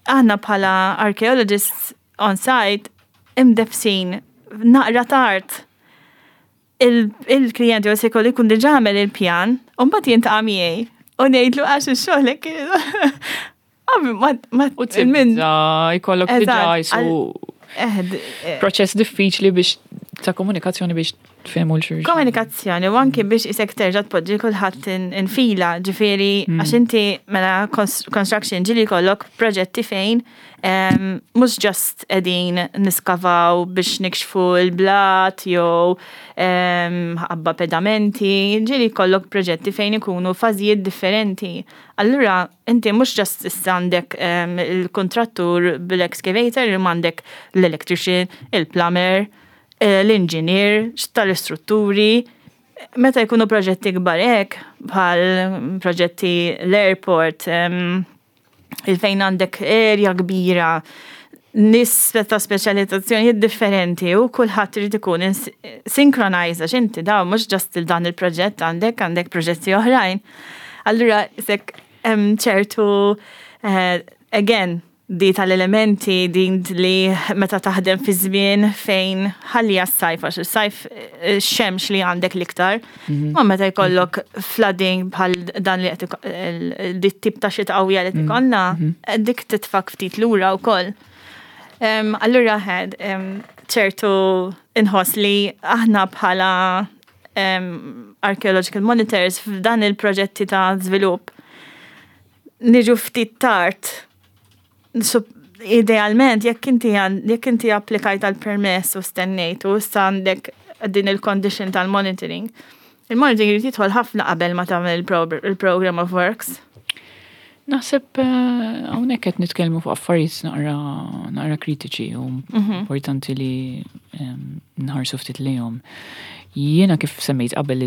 aħna bħala archaeologists on site imdefsin naqra tard il-klijent jew se jkollu jkun diġà għamel il-pjan, u mbagħad jiltaqa' miegħi u ngħidlu għax ix-xogħol hekk U tibda jkollok diġà jisu proċess diffiċli biex ta' komunikazzjoni biex tfehmu l xulxin. Komunikazzjoni u anki biex isek terġa' tpoġġi kulħadd infila, ġifieri għax inti mela construction ġieli jkollok proġetti fejn Mhux just qegħdin niskavaw biex nikxfu l-blat jew ħabba pedamenti, ġieli jkollok proġetti fejn ikunu fażijiet differenti. Allura inti mhux just issa għandek il-kuntrattur bil-excavator imma għandek l-electrician, il-plumber, l-engineer tal-istrutturi. Meta jkunu proġetti kbar hekk, bħal proġetti l-airport, il-fejn għandek area kbira, nies ta' speċjalizzazzjonijiet differenti u kulħadd irid ikun synchronized għax inti daw mhux just il dan il-proġett għandek għandek proġetti oħrajn. Allura sek hemm ċertu eh, again di tal-elementi din li meta taħdem fi żmien fejn ħalli s-sajf għax is-sajf eh, xemx li għandek l-iktar. Mhm. Ma meta jkollok flooding bħal dan li qed dit tip ta' xita qawwija li mhm. ikollna, mhm. Eh, dik titfak ftit lura wkoll. Allura ħed ċertu inħoss li aħna bħala archaeological monitors f'dan il-proġetti ta' żvilupp niġu ftit tard Idealment, jekk inti jekk inti applikajt għal permess u stennejt u issa għandek din il-condition tal-monitoring, il-monitoring jrid jidħol ħafna qabel ma tagħmel il-program of works. Naħseb eh, hawnhekk qed nitkellmu fuq affarijiet naqra naqra kritiċi u mhm. importanti li ehm, nħarsu ftit lejhom. Jiena kif semmejt qabel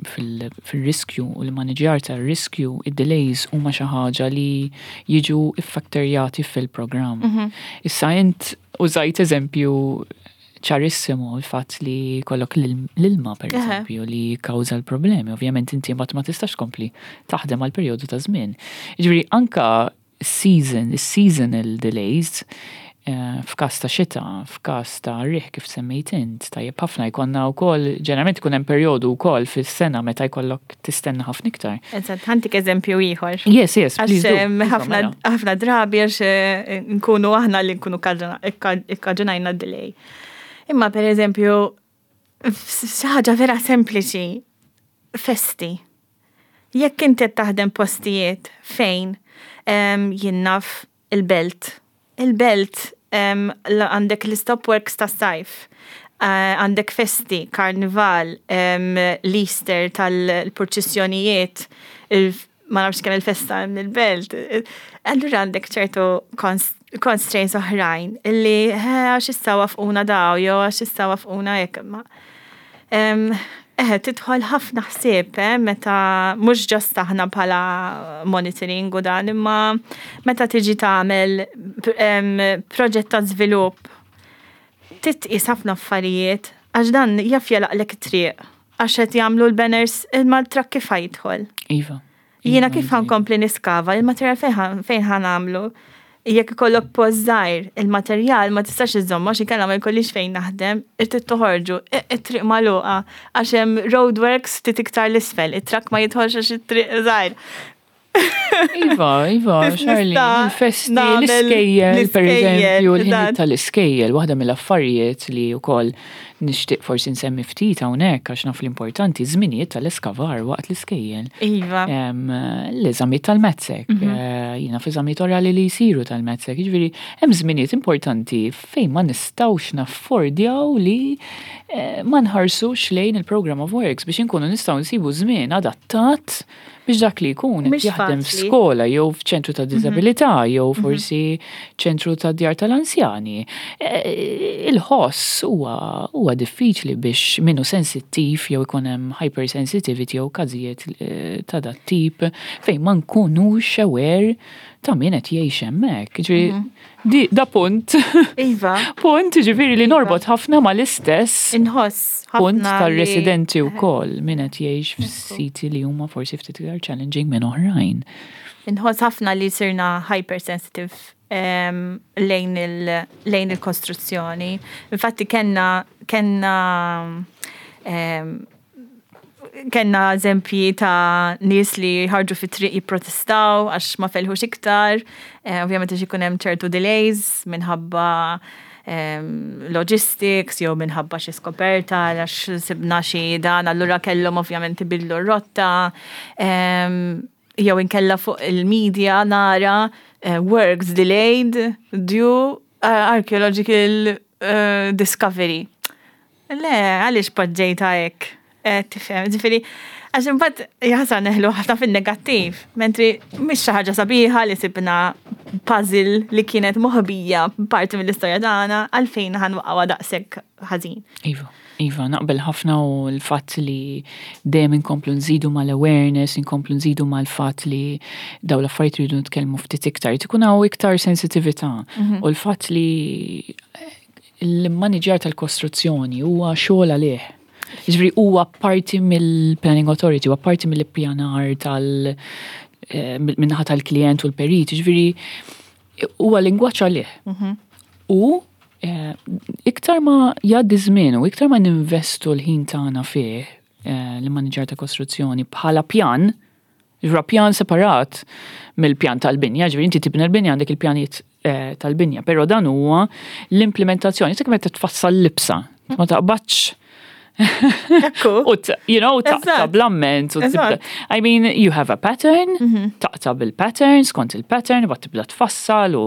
fil-riskju u l-maniġjar tar-riskju, id-delays huma xi ħaġa li jiġu iffaktorjati fil-programm. Mhm. Issa int użajt eżempju ċarissimu l-fatt li kollok l-ilma per eżempju li kawża l-problemi. Ovvjament inti mbagħad ma tistax tkompli taħdem għal perjodu ta' żmien. Jiġifieri anka season, seasonal delays, eh, f'każ ta' xita, f'każ ta' riħ kif semmejt int, tajjeb ħafna jkollna wkoll, ġeneralment ikun hemm perjodu wkoll fis-sena meta jkollok tistenna ħafna iktar. Eżatt, ħa ntik eżempju ieħor. Yes, please do. Mela. Ħafna drabi għax eh, nkunu aħna li nkunu ikkaġunajna delay. Imma per eżempju, xi ħaġa vera sempliċi, festi. Jekk inti qed taħdem postijiet fejn jien naf il-belt. Il-belt għandek l-istop works tas-sajf, eh, għandek festi, karnival, l-Easter tal-purċissjonijiet, ma nafx kemm il-festa hemm il-belt. Allura għandek ċertu constraints oħrajn illi eh, għax issa wafquna daw jew għax issa wafquna hekk. Eħe, tidħol ħafna ħsieb, eh, meta mhux just aħna bħala monitoring u dan, imma meta tiġi tagħmel proġett ta' żvilupp titqis ħafna affarijiet għax dan jaf jalaqlek it-triq għax qed jagħmlu l-banners imma l-trakk kif ħa jidħol. Iva. Jiena kif ħa nkompli niskava, il-materjal fejn ħa nagħmlu? Jekk ikollok post żgħir, il-materjal ma tistax iżommu għax inkella ma jkollix fejn naħdem, irrid toħorġu, it-triq magħluqa għax hemm roadworks ftit iktar l-isfel, it-trakk ma jidħolx għax it-triq żgħir. Iva, iva, Charlie, il-festi, l-iskejjel, per eżempju, l-ħin tal-iskejjel, waħda mill-affarijiet li wkoll nixtieq forsi nsemmi ftit hawnhekk għax naf l-importanti, żminijiet tal-eskavar waqt l-iskejjel. Iva. L-eżamijiet tal-MATSEC, mhm. eh, jiena f'eżamijiet orali li jsiru tal-MATSEC, jiġifieri hemm żminijiet importanti fejn ma nistgħux naffordjaw li eh, ma nħarsux lejn il-program of works biex inkunu nistgħu nsibu żmien adattat biex dak li jkun qed jaħdem f'skola jew f'ċentru ta' mhm. diżabilità jew mhm. forsi ċentru ta' djar tal-anzjani. E, il-ħoss huwa Huwa diffiċli biex min hu sensittiv jew ikun hemm hypersensitivity jew każijiet ta' dat tip fejn ma nkunux aware ta' min qed jgħix hemmhekk. Ġifieri mhm. di da punt. Iva. Punt ġifieri li iva. norbot ħafna mal-istess. Inħoss punt tar-residenti wkoll min qed jgħix f'siti li huma forsi ftit iktar challenging minn oħrajn. Inħoss ħafna li sirna hypersensitive lejn il-kostruzzjoni. Infatti kellna kellna kellna eżempji ta' nies li ħarġu fit-triq jipprotestaw għax ma felħux iktar, eh, ovvjament għax ikun hemm ċertu delays minħabba logistics jew minħabba xi skoperta għax sibna xi dan allura kellhom ovvjament ibidlu r-rotta. Jew inkella fuq il-media nara eh, works delayed due eh, archaeological eh, discovery. Le, għaliex poġġejta hekk? Tifhem, ġifieri, għax imbagħad jaħsar neħlu ħafna fin-negattiv, mentri mhix xi ħaġa sabiħa li sibna puzzle li kienet moħbija parti mill-istorja tagħna għalfejn ħanwaqgħuha daqshekk ħażin. Iva. Iva, naqbel ħafna u l-fatt li dejjem inkomplu nżidu mal-awareness, inkomplu nżidu mal-fatt li daw l-affarijiet rridu nitkellmu ftit iktar, ikun hawn iktar sensitività. Mhm. U l-fatt li l-manager tal-kostruzzjoni huwa xogħol għalih. Ġifieri huwa parti mill-Planning Authority, huwa parti mill-ippjanar tal- eh, minnaħa tal-klient u l-perit, ġifieri huwa lingwaġġ għalih. Mhm. U eh, iktar ma jgħaddi żmien u iktar ma ninvestu l-ħin tagħna fih eh, l-manager ta' kostruzzjoni bħala pjan, ġra pjan separat mill-pjan tal-binja, ġifieri inti tibni l-binja għandek il-pjanijiet eh, tal-binja, però dan huwa l-implementazzjoni, sekk meta tfassal libsa, ma taqbadx U, you know, taqta bl-amment. I mean, you have a pattern, mhm. taqta bil-pattern, skont il-pattern, bat tibda tfassal u,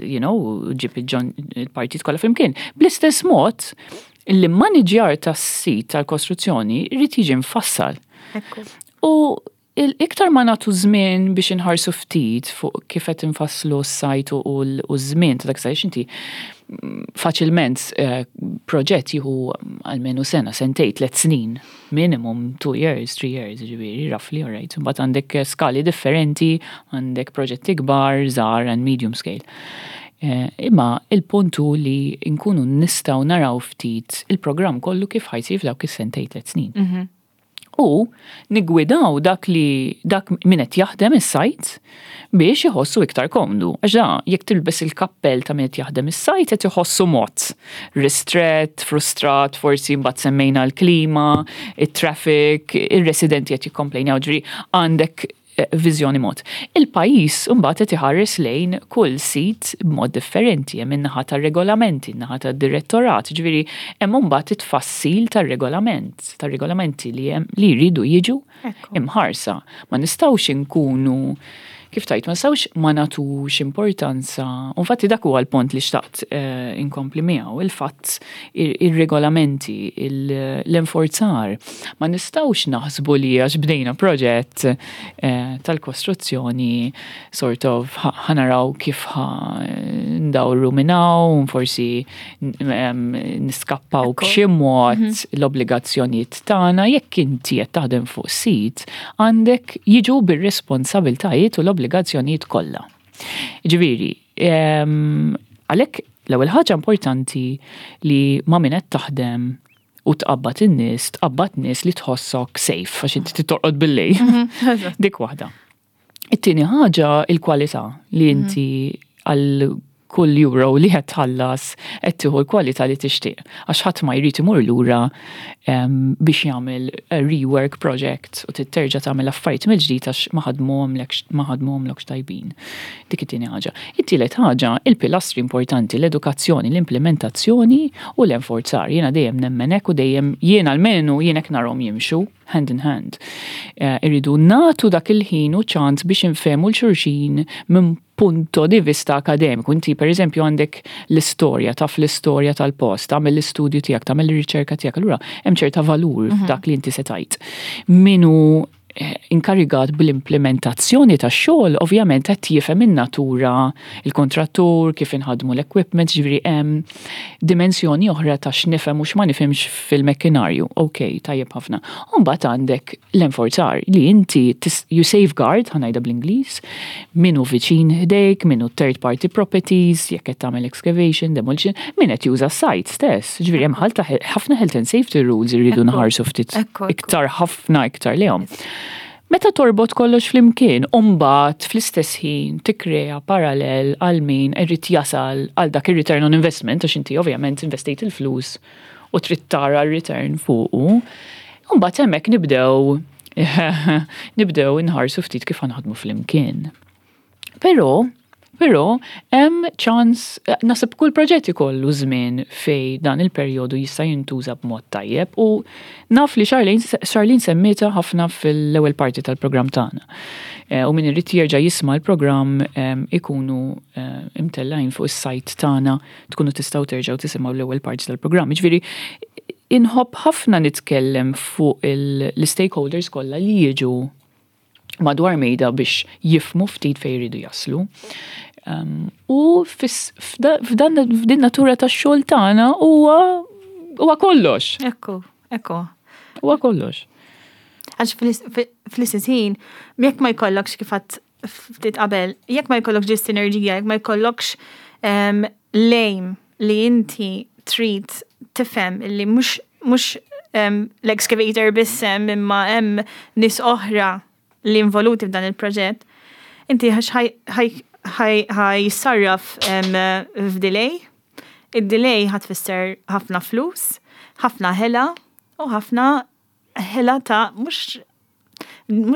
you know, ġib il-partit kollha flimkien. Bl-istess mod, l-manager tas-sit tal-kostruzzjoni rrid jiġi mfassal. U Iktar ma nagħtu żmien biex inħarsu ftit fuq kif qed infasslu s-sajt u ż-żmien ta' dak sajt inti mm, faċilment eh, proġett jieħu almenu sena, sentej, tliet snin, minimum two years, three years, ġifieri, roughly, all right. Mbagħad għandek skali differenti, għandek proġetti kbar, żgħar and medium scale. Eh, imma il-punt hu li nkunu nistgħu naraw ftit il-programm kollu kif ħa jsir f'dawk is-sentej tliet snin. Mhm. U niggwidaw dak li dak min qed jaħdem is-sajt biex iħossu iktar komdu. Għax da, jekk tilbes il-kappell ta' min qed jaħdem is-sajt qed iħossu mod ristrett, frustrat, forsi mbagħad semmejna l-klima, it-traffic, ir-residenti qed jikkomplejnjaw ġifieri għandek viżjoni mod. Il-pajjiż imbagħad qed iħares lejn kull sit b'mod differenti, hemm in-naħa tar-regolamenti, in-naħa tad-direttorat, ġifieri hemm imbagħad it-tfassil tar-regolament, tar-regolamenti li hemm li jridu jiġu imħarsa. Ma nistgħux inkunu kif tajt, ma nistgħux ma nagħtux importanza. U infatti dak huwa l-punt li xtaqt eh, inkompli miegħu, il-fatt ir-regolamenti, l-enforzar. Ma nistgħux naħsbu li għax bdejna proġett eh, tal-kostruzzjoni sort of ħa naraw kif ħa ndawru minn hawn, forsi niskappaw b'xi mod mhm. l-obbligazzjonijiet tagħna jekk inti qed taħdem fuq sit għandek jiġu bir-responsabiltajiet u l-obbligazzjonijiet kollha. Ġifieri, għalhekk l-ewwel ħaġa importanti li ma' min qed taħdem u tqabbad in-nies, tqabbad nies li tħossok safe għax inti torqod bil-lejl. Mhm, Dik waħda. It-tieni ħaġa il-kwalità li mhm. inti għal kull euro li qed tħallas qed tieħu l-kwalità li tixtieq. Għax ħadd ma jrid imur lura biex jagħmel rework project u titterġa' tagħmel affarijiet mill-ġdid għax ma ħadmuhomlekx ma ħadmuhomlokx tajbin. Dik it-tieni ħaġa. It-tielet ħaġa, il-pilastri importanti, l-edukazzjoni, l-implementazzjoni u l-enforzar. Jiena dejjem nemmen hekk u dejjem jien almenu jien hekk narhom jimxu hand in hand. Eh, irridu nagħtu dak il-ħin u ċans biex infehmu l-xulxin minn punto di vista akademiku. Inti per eżempju għandek l-istorja, taf l-istorja tal-post, tagħmel l-istudju tiegħek, tagħmel ir-riċerka tiegħek, allura hemm ċerta valur mhm. f'dak li inti se tajt. Minu inkarigat bl-implementazzjoni tax-xogħol ovvjament qed jifhem in-natura, il-kontrattur, kif inħadmu l-equipment, ġifieri hemm dimensjoni oħra ta' x'nifhem u x'ma nifhimx fil-mekkinarju. Ok, tajjeb ħafna. U mbagħad għandek l-enforzar li inti you safeguard, ħa ngħidha bl-Ingliż, min hu viċin ħdejk, min hu third party properties, jekk qed tagħmel excavation, demolition, min qed juża s-site stess. Ġifieri hemm ħafna health and safety rules irridu nħarsu ftit iktar ħafna iktar lejhom. Meta torbot kollox flimkien, u mbagħad fl-istess ħin tikkrea parallel għal min irid jasal għal dak ir-return on investment, għax inti ovvjament investejt il-flus u trid tara r-return fuqu. U mbagħad hemmhekk nibdew nibdew inħarsu ftit kif ħa naħdmu flimkien. Però hemm ċans, naħseb kull proġett ikollu żmien fej dan il-perjodu jista' jintuża b'mod tajjeb u naf li Charlene semmietha ħafna fil-ewwel parti tal-programm tagħna. U min irid jerġa' jisma' l-programm ikunu imtellgħin fuq is-sajt tagħna, tkunu tistgħu terġgħu tisimgħu l-ewwel parti tal-programm. Ġifieri inħobb ħafna nitkellem fuq l-stakeholders kollha li jiġu madwar mejda biex jifhmu ftit fejn jridu jaslu. U f'din natura tax-xogħol tagħna huwa kollox. Ekku, ekku. Huwa kollox. Għax fl-istess ħin, jekk ma jkollokx kif għedt ftit qabel, jekk ma jkollokx ġi sinerġija, jekk ma jkollokx lejm li inti trid tifhem li mhux l-excavator biss hemm imma hemm nies oħra li involuti f'dan il-proġett, inti ħa jissarraf f'delay. Id-delay ħa tfisser ħafna flus, ħafna ħela u ħafna ħela ta' mhux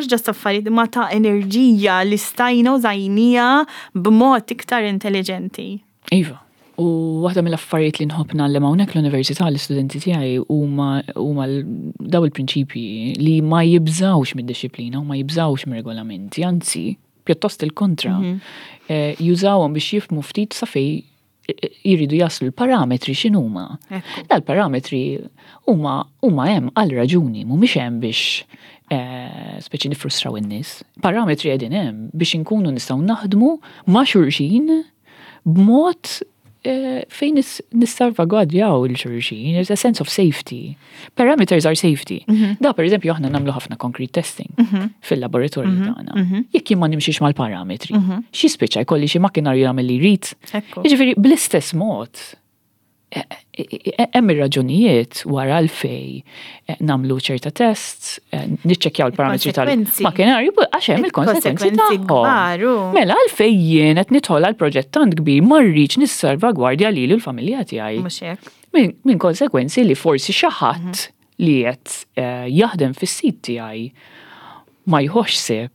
just affarijiet ma ta' enerġija li stajna użajnieha b'mod iktar intelligenti. Iva. U waħda mill-affarijiet li nħobb ngħallem hawnhekk l-università l-istudenti tiegħi huma daw il-prinċipji li ma jibżawx mid-disciplina u ma jibżawx mir-regolamenti, anzi, pjuttost il-kontra. Jużawhom biex jifhmu ftit sa fej jridu jaslu l-parametri x'inhuma. Dal-parametri huma hemm għal raġuni, mhumiex hemm biex speċi nifrustraw in-nies. Parametri qegħdin hemm biex inkunu nistgħu naħdmu ma' xulxin b'mod fejn nissalvagwardjaw il-xulxin, there's a sense of safety. Parameters are safety. Da, per eżempju, aħna nagħmlu ħafna concrete testing fil-laboratorju tagħna. Jekk jien ma nimxiex mal-parametri, xi spiċċa jkolli xi makkinarju jagħmel li jrid. Jiġifieri bl-istess mod, hemm ir-raġunijiet wara l-fej nagħmlu ċerta tests, niċċekkjaw il-parametri tal-makkinarju, għax hemm il-konsekwenzi tagħhom. Mela għalfej jien qed nidħol għal proġett tant kbir ma rridx nissalvagwardja lili u l-familja tiegħi. Mhux hekk. Min konsekwenzi li forsi xi ħadd li qed jaħdem fis-sit tiegħi ma jħox seb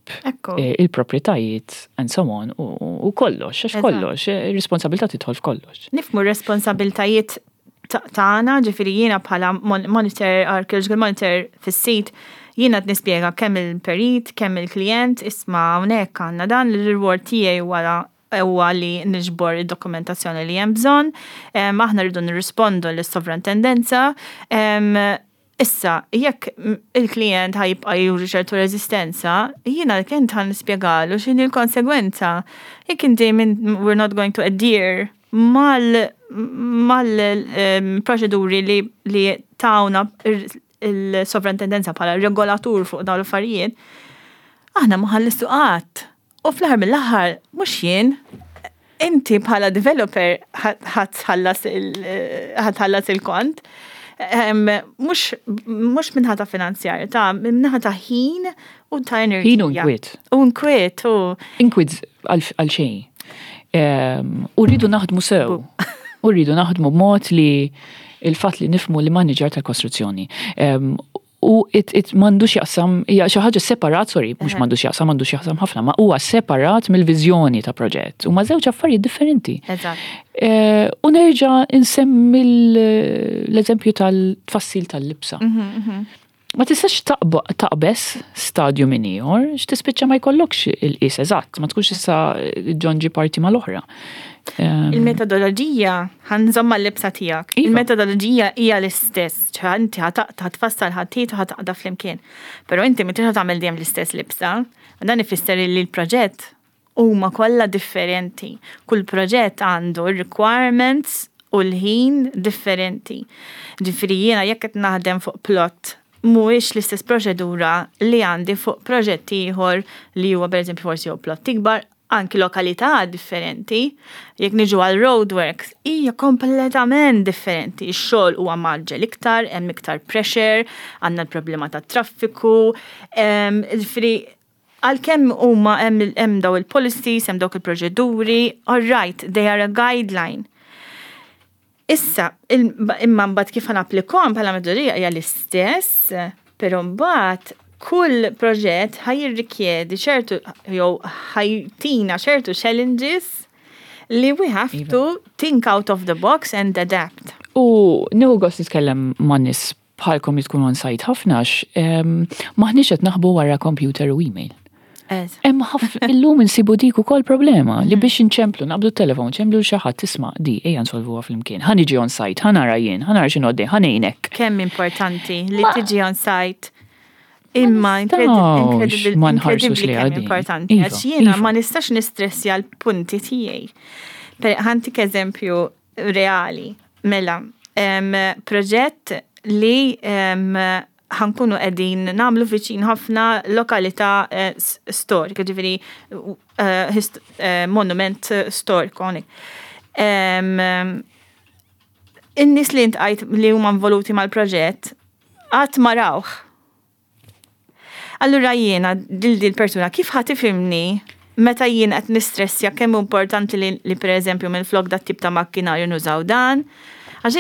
il-proprietajiet and so on u kollox, għax kollox, ir-responsabilità tidħol f'kollox. Nifhmu r-responsabiltajiet tagħna, ġifieri jiena bħala monitor, archaeological monitor fis-sit, jiena qed nispjega kemm il-perit, kemm il-klient, isma' hawnhekk għandna dan l-reward tiegħi wara huwa li niġbor id-dokumentazzjoni li hemm bżonn, aħna rridu nirrispondu lis-sovrintendenza. Issa, jekk il-klient ħa jibqa' juri ċertu reżistenza, jiena l-klient ħa nispjegalu x'inhi l-konsegwenza. Jekk inti minn we're not going to adhere mal-proċeduri li tawna il-sovrintendenza bħala regolatur fuq dawn l-affarijiet, aħna ma ħallistu qatt. U fl-aħħar mill-aħħar mhux jien, inti bħala developer ħa tħallas il-kont. Mhux minnaħa ta' finanzjarja, ta' minnaħa ta' ħin u ta' enerġija. Ħin u nkwiet. U nkwiet, u. Inkwiet għal xejn. U rridu naħdmu sew. U rridu naħdmu b'mod li il-fatt li nifhmu li manager tal-kostruzzjoni. U it m'għandux jaqsam, hija xi ħaġa separat, sorry, mhux m'għandux jaqsam, m'għandux jaqsam ħafna, ma huwa separat mill-viżjoni ta' proġett. Huma żewġ affarijiet differenti. U nerġa' insemmi l-eżempju tal-tfassil tal-libsa. Ma tistax taqbeż stadju minn ieħor, x'tispiċċa ma jkollokx il-qies eżatt, ma tkunx issa ġonġi parti mal-oħra. Il-metodoloġija, ħa nżomm mal-libsa tiegħek. Iva. Il-metodoloġija hija l-istess, ċa inti ħa tfassal ħatit u ħa taqda flimkien. Però inti m'intix ħa tagħmel dejjem l-istess libsa. Dan ifisser li l-proġett huma kollha differenti. Kull proġett għandu requirements u l-ħin differenti. Ġifieri jiena jekk qed naħdem fuq plot mhuwiex l-istess proċedura li għandi fuq proġett ieħor li huwa pereżempju forsi jew plot ikbar, anki lokalità differenti. Jekk niġu għal roadworks, hija kompletament differenti. Ix-xogħol huwa mgħaġġel iktar, hemm iktar pressure, għandna l-problema tat-traffiku. Ġifieri għalkemm huma hemm daw il-policies, hemm dawk il-proċeduri, all right, they are a guideline. Issa, imma mbagħad kif ħa napplikahom bħala metodoloġija hija l-istess, però mbagħad kull proġett ħa jirrikjedi ċertu jew ħa jtina ċertu challenges li we have to think out of the box and adapt. U nieħu gost nitkellem ma' nies bħalkom li tkunu on site ħafna maħniex qed naħbu wara computer u email. Hemm illum insibu dik ukoll problema li biex inċemplu naqbdu t-telefon, ċemplu xi ħadd tisma' di ejja nsolvuha flimkien. Ħa niġi on site, ħa nara jien, ħa nara x'inhu għaddej, ħa ngħinek. Kemm importanti li tiġi on site. Imma nistgħux ma nħarsux incredibly li kemm għaddej. importanti. Għax jiena ma nistax nistressja l-punti tiegħi. Ħa ntik eżempju reali. Mela, proġett li ħa nkunu qegħdin nagħmlu viċin ħafna lokalità storika, ġifieri monument storiku hawnhekk. In-nies li iltqajt li huma involuti mal-proġett qatt ma rawh. Allura jiena dil persuna kif ħa tifhimni meta jien qed nistressja kemm hu importanti li pereżempju minn flok dat tip ta' makkinarju nużaw dan? Għax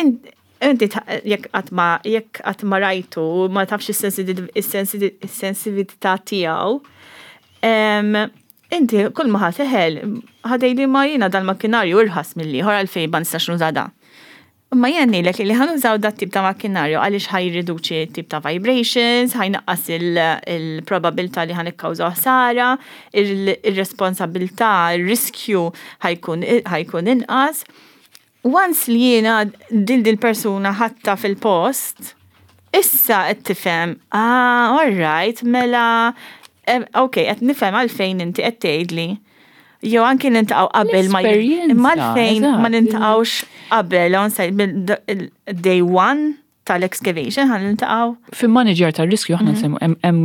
inti jekk qatt ma rajtu ma tafx is-sensitività tiegħu, inti kull ma ħa teħel ħa tgħidli ma jiena dal-makkinarju irħas mill-ieħor, għalfejn ma nistax nuża da. Imma jien ngħidlek li ħa nużaw dat tip ta' makkinarju għaliex ħa jirriduċi tip ta' vibrations, ħa jnaqqas il-probabilità li ħa nikkawżaw ħsara, il-responsabilità, il-riskju ħa jkun inqas. Once li jiena dil persuna ħadtha fil-post, issa qed tifhem, ah, all right, mela, ok, qed nifhem għalfejn inti qed tgħidli. Jew anki niltaqgħu qabel ma L-esperjenza, imma għalfejn ma niltaqgħux qabel on site day one tal-excavation ħa niltaqgħu. Fil-manager tar-riskju aħna nsemmu hemm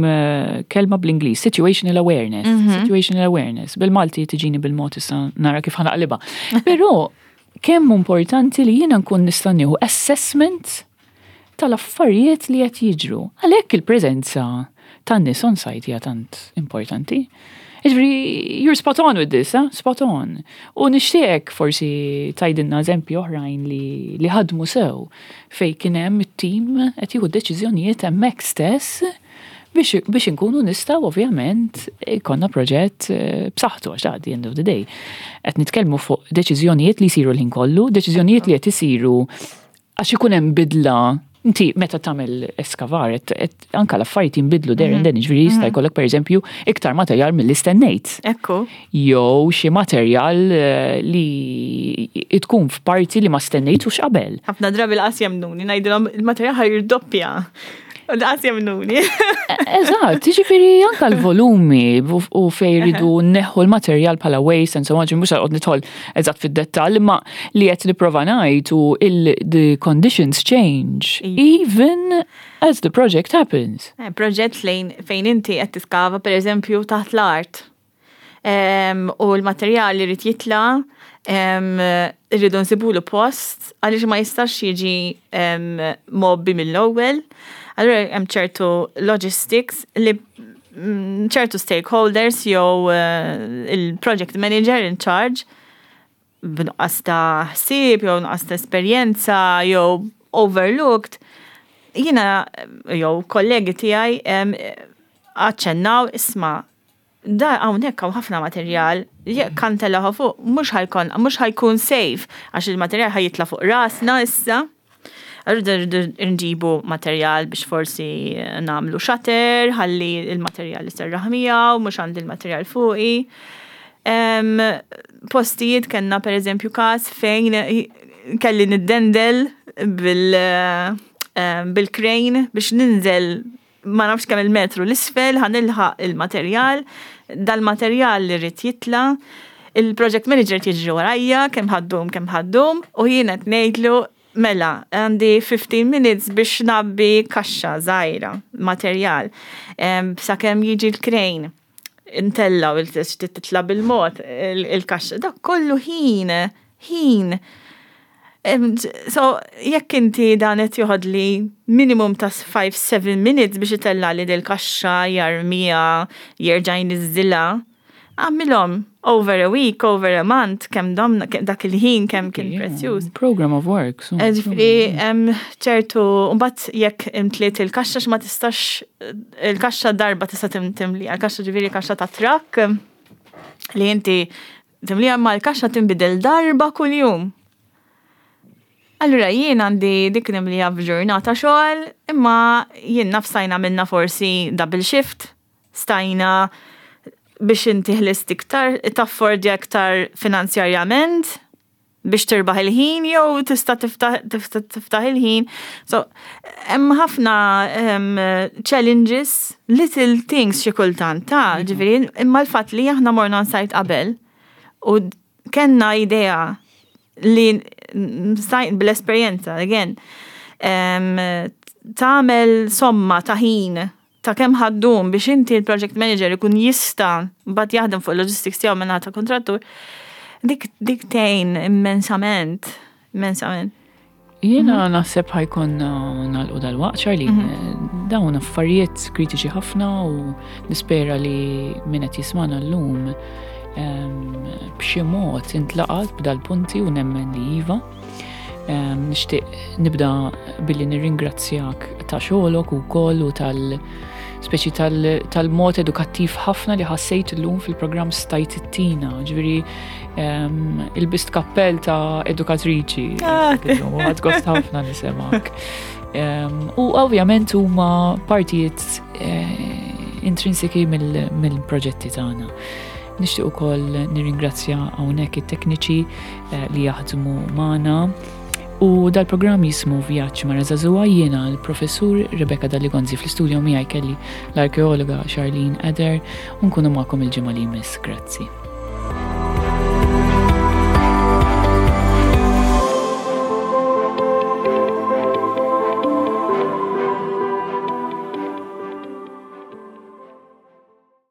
kelma bl-Ingliż, situational awareness. Situational awareness. Bil-Malti tiġini bil-mod, issa nara kif ħa naqlibha. Però kemm importanti li jiena nkun nista' nieħu assessment tal-affarijiet li qed jiġru. Għalhekk il-preżenza tan-nies on site hija tant importanti. Ġifieri, you're spot on with this, eh? Spot on. U nixtieq forsi tgħidilna eżempji oħrajn li ħadmu sew fej kien hemm it-tim qed jieħu deċiżjonijiet hemmhekk stess biex inkunu nistgħu ovvjament ikollna proġett b'saħħtu, għax at the end of the day qed nitkellmu fuq deċiżjonijiet li jsiru l-ħin kollu, deċiżjonijiet li qed isiru għax ikun hemm bidla. Inti meta tagħmel eskavar, anka l-affarijiet jinbidlu there and then, ġifieri jista' jkollok pereżempju iktar materjal milli stennejt. Jew xi materjal li tkun f'parti li ma stennejtux qabel. Ħafna drabi lanqas jemmnuni, ngħidilhom il-materjal ħa jirdoppja. U lanqas jemmnuni. Eżatt, ġifieri anka l-volumi u fej ridu neħħu l-materjal bħala waste and so on, mhux għod nidħol eżatt fid-dettall, imma li qed nipprova ngħid u the conditions change even as the project happens. Proġett lejn fejn inti qed tiskava pereżempju taħt l-art. U l-materjal li jrid jitla', irridu nsibulu post għaliex ma jistax jiġi mgħobbi mill-ewwel. Allura hemm ċertu logistics li ċertu stakeholders jew il-project manager in charge b'nuqqas ta' ħsieb jew nuqqas ta' esperjenza jew overlooked. Jiena jew kollegi tiegħi aċċennaw, isma', da hawnhekk hawn ħafna materjal, jekk ħa ntellgħuh fuq mhux ħa jkun safe għax il-materjal ħa jitla' fuq rasna issa. Rridu nġibu materjal biex forsi nagħmlu shutter, ħalli il-materjal iserraħ miegħu, mhux għandi l-materjal fuqi. Postijiet kellna per eżempju każ fejn kelli niddendel bil-crane biex ninżel ma nafx kemm il-metru l-isfel, ħa nilħaq il-materjal, dal-materjal li rrid jitla', il-project manager jiġri warajja kemm ħa ddum kemm ħa ddum u jien qed ngħidlu mela għandi 15 minutes biex ngħabbi kaxxa żgħira materjal sakemm jiġi l-crane intella' u titla' bil-mod il-kaxxa. Dak kollu ħin, ħin. So, jekk inti dan qed joħodli minimum ta' 5-7 minutes biex itella' li dil-kaxxa jarmiha, jerġa' jniżżilha, għamilhom over a week, over a month, kemm domna, dak il-ħin kemm kien prezzjuż. Program of work. Ġifieri, ċertu, mbagħad jekk imtliet il-kaxxa ma tistax, il-kaxxa darba tista' timli, il-kaxxa ġifieri kaxxa ta' truck li inti timliha ma l-kaxxa tinbidel darba kuljum. Allura jien għandi dik nimlija f'ġurnata xogħol, imma jien naf stajna minna forsi double shift, stajna biex inti ħlist iktar, taffordja iktar finanzjarjament biex tirbaħ il-ħin jew tista' tiftaħ il-ħin. So, hemm ħafna challenges, little things xi kultant, ta' ġifieri, imma l-fatt li aħna morna on-site qabel u kellna idea li stajt bl-esperjenza, again, tagħmel somma ta' ħin ta' kemm ħa ddum biex inti l-project manager ikun jista' mbagħad jaħdem fuq il-logistics tiegħu minn ta' kontrattur, dik tgħin immensament, immensament. Jiena naħseb ħa jkollna nagħlqu dal-waqt, Charlene, dawn affarijiet kritiċi ħafna u nispera li min qed jismana llum b'xi mod intlaqat b'dal-punti u nemmen li iva. Nixtieq nibda billi nirringrazzjak ta' xogħolok ukoll u tal speċi tal-mod edukattiv ħafna li ħassejt illum fil-programm stajt ittina, ġifieri il-bist kappell ta' edukatriċi. Ħadt gost ħafna nismgħek. U ovvjament huma partijiet intrinsiki mill-proġetti tagħna. Nixtieq ukoll nirringrazzja hawnhekk it-tekniċi li jaħdmu magħna. U dal-programm jismu Vjaġġ Mara Żagħżugħa, jiena l-professur Rebecca Dalli Gonzi, fl-istudio miegħi kelli l-arkeologa Charlene Eder u nkunu magħkom il-ġimgħa li jmiss. Grazzi.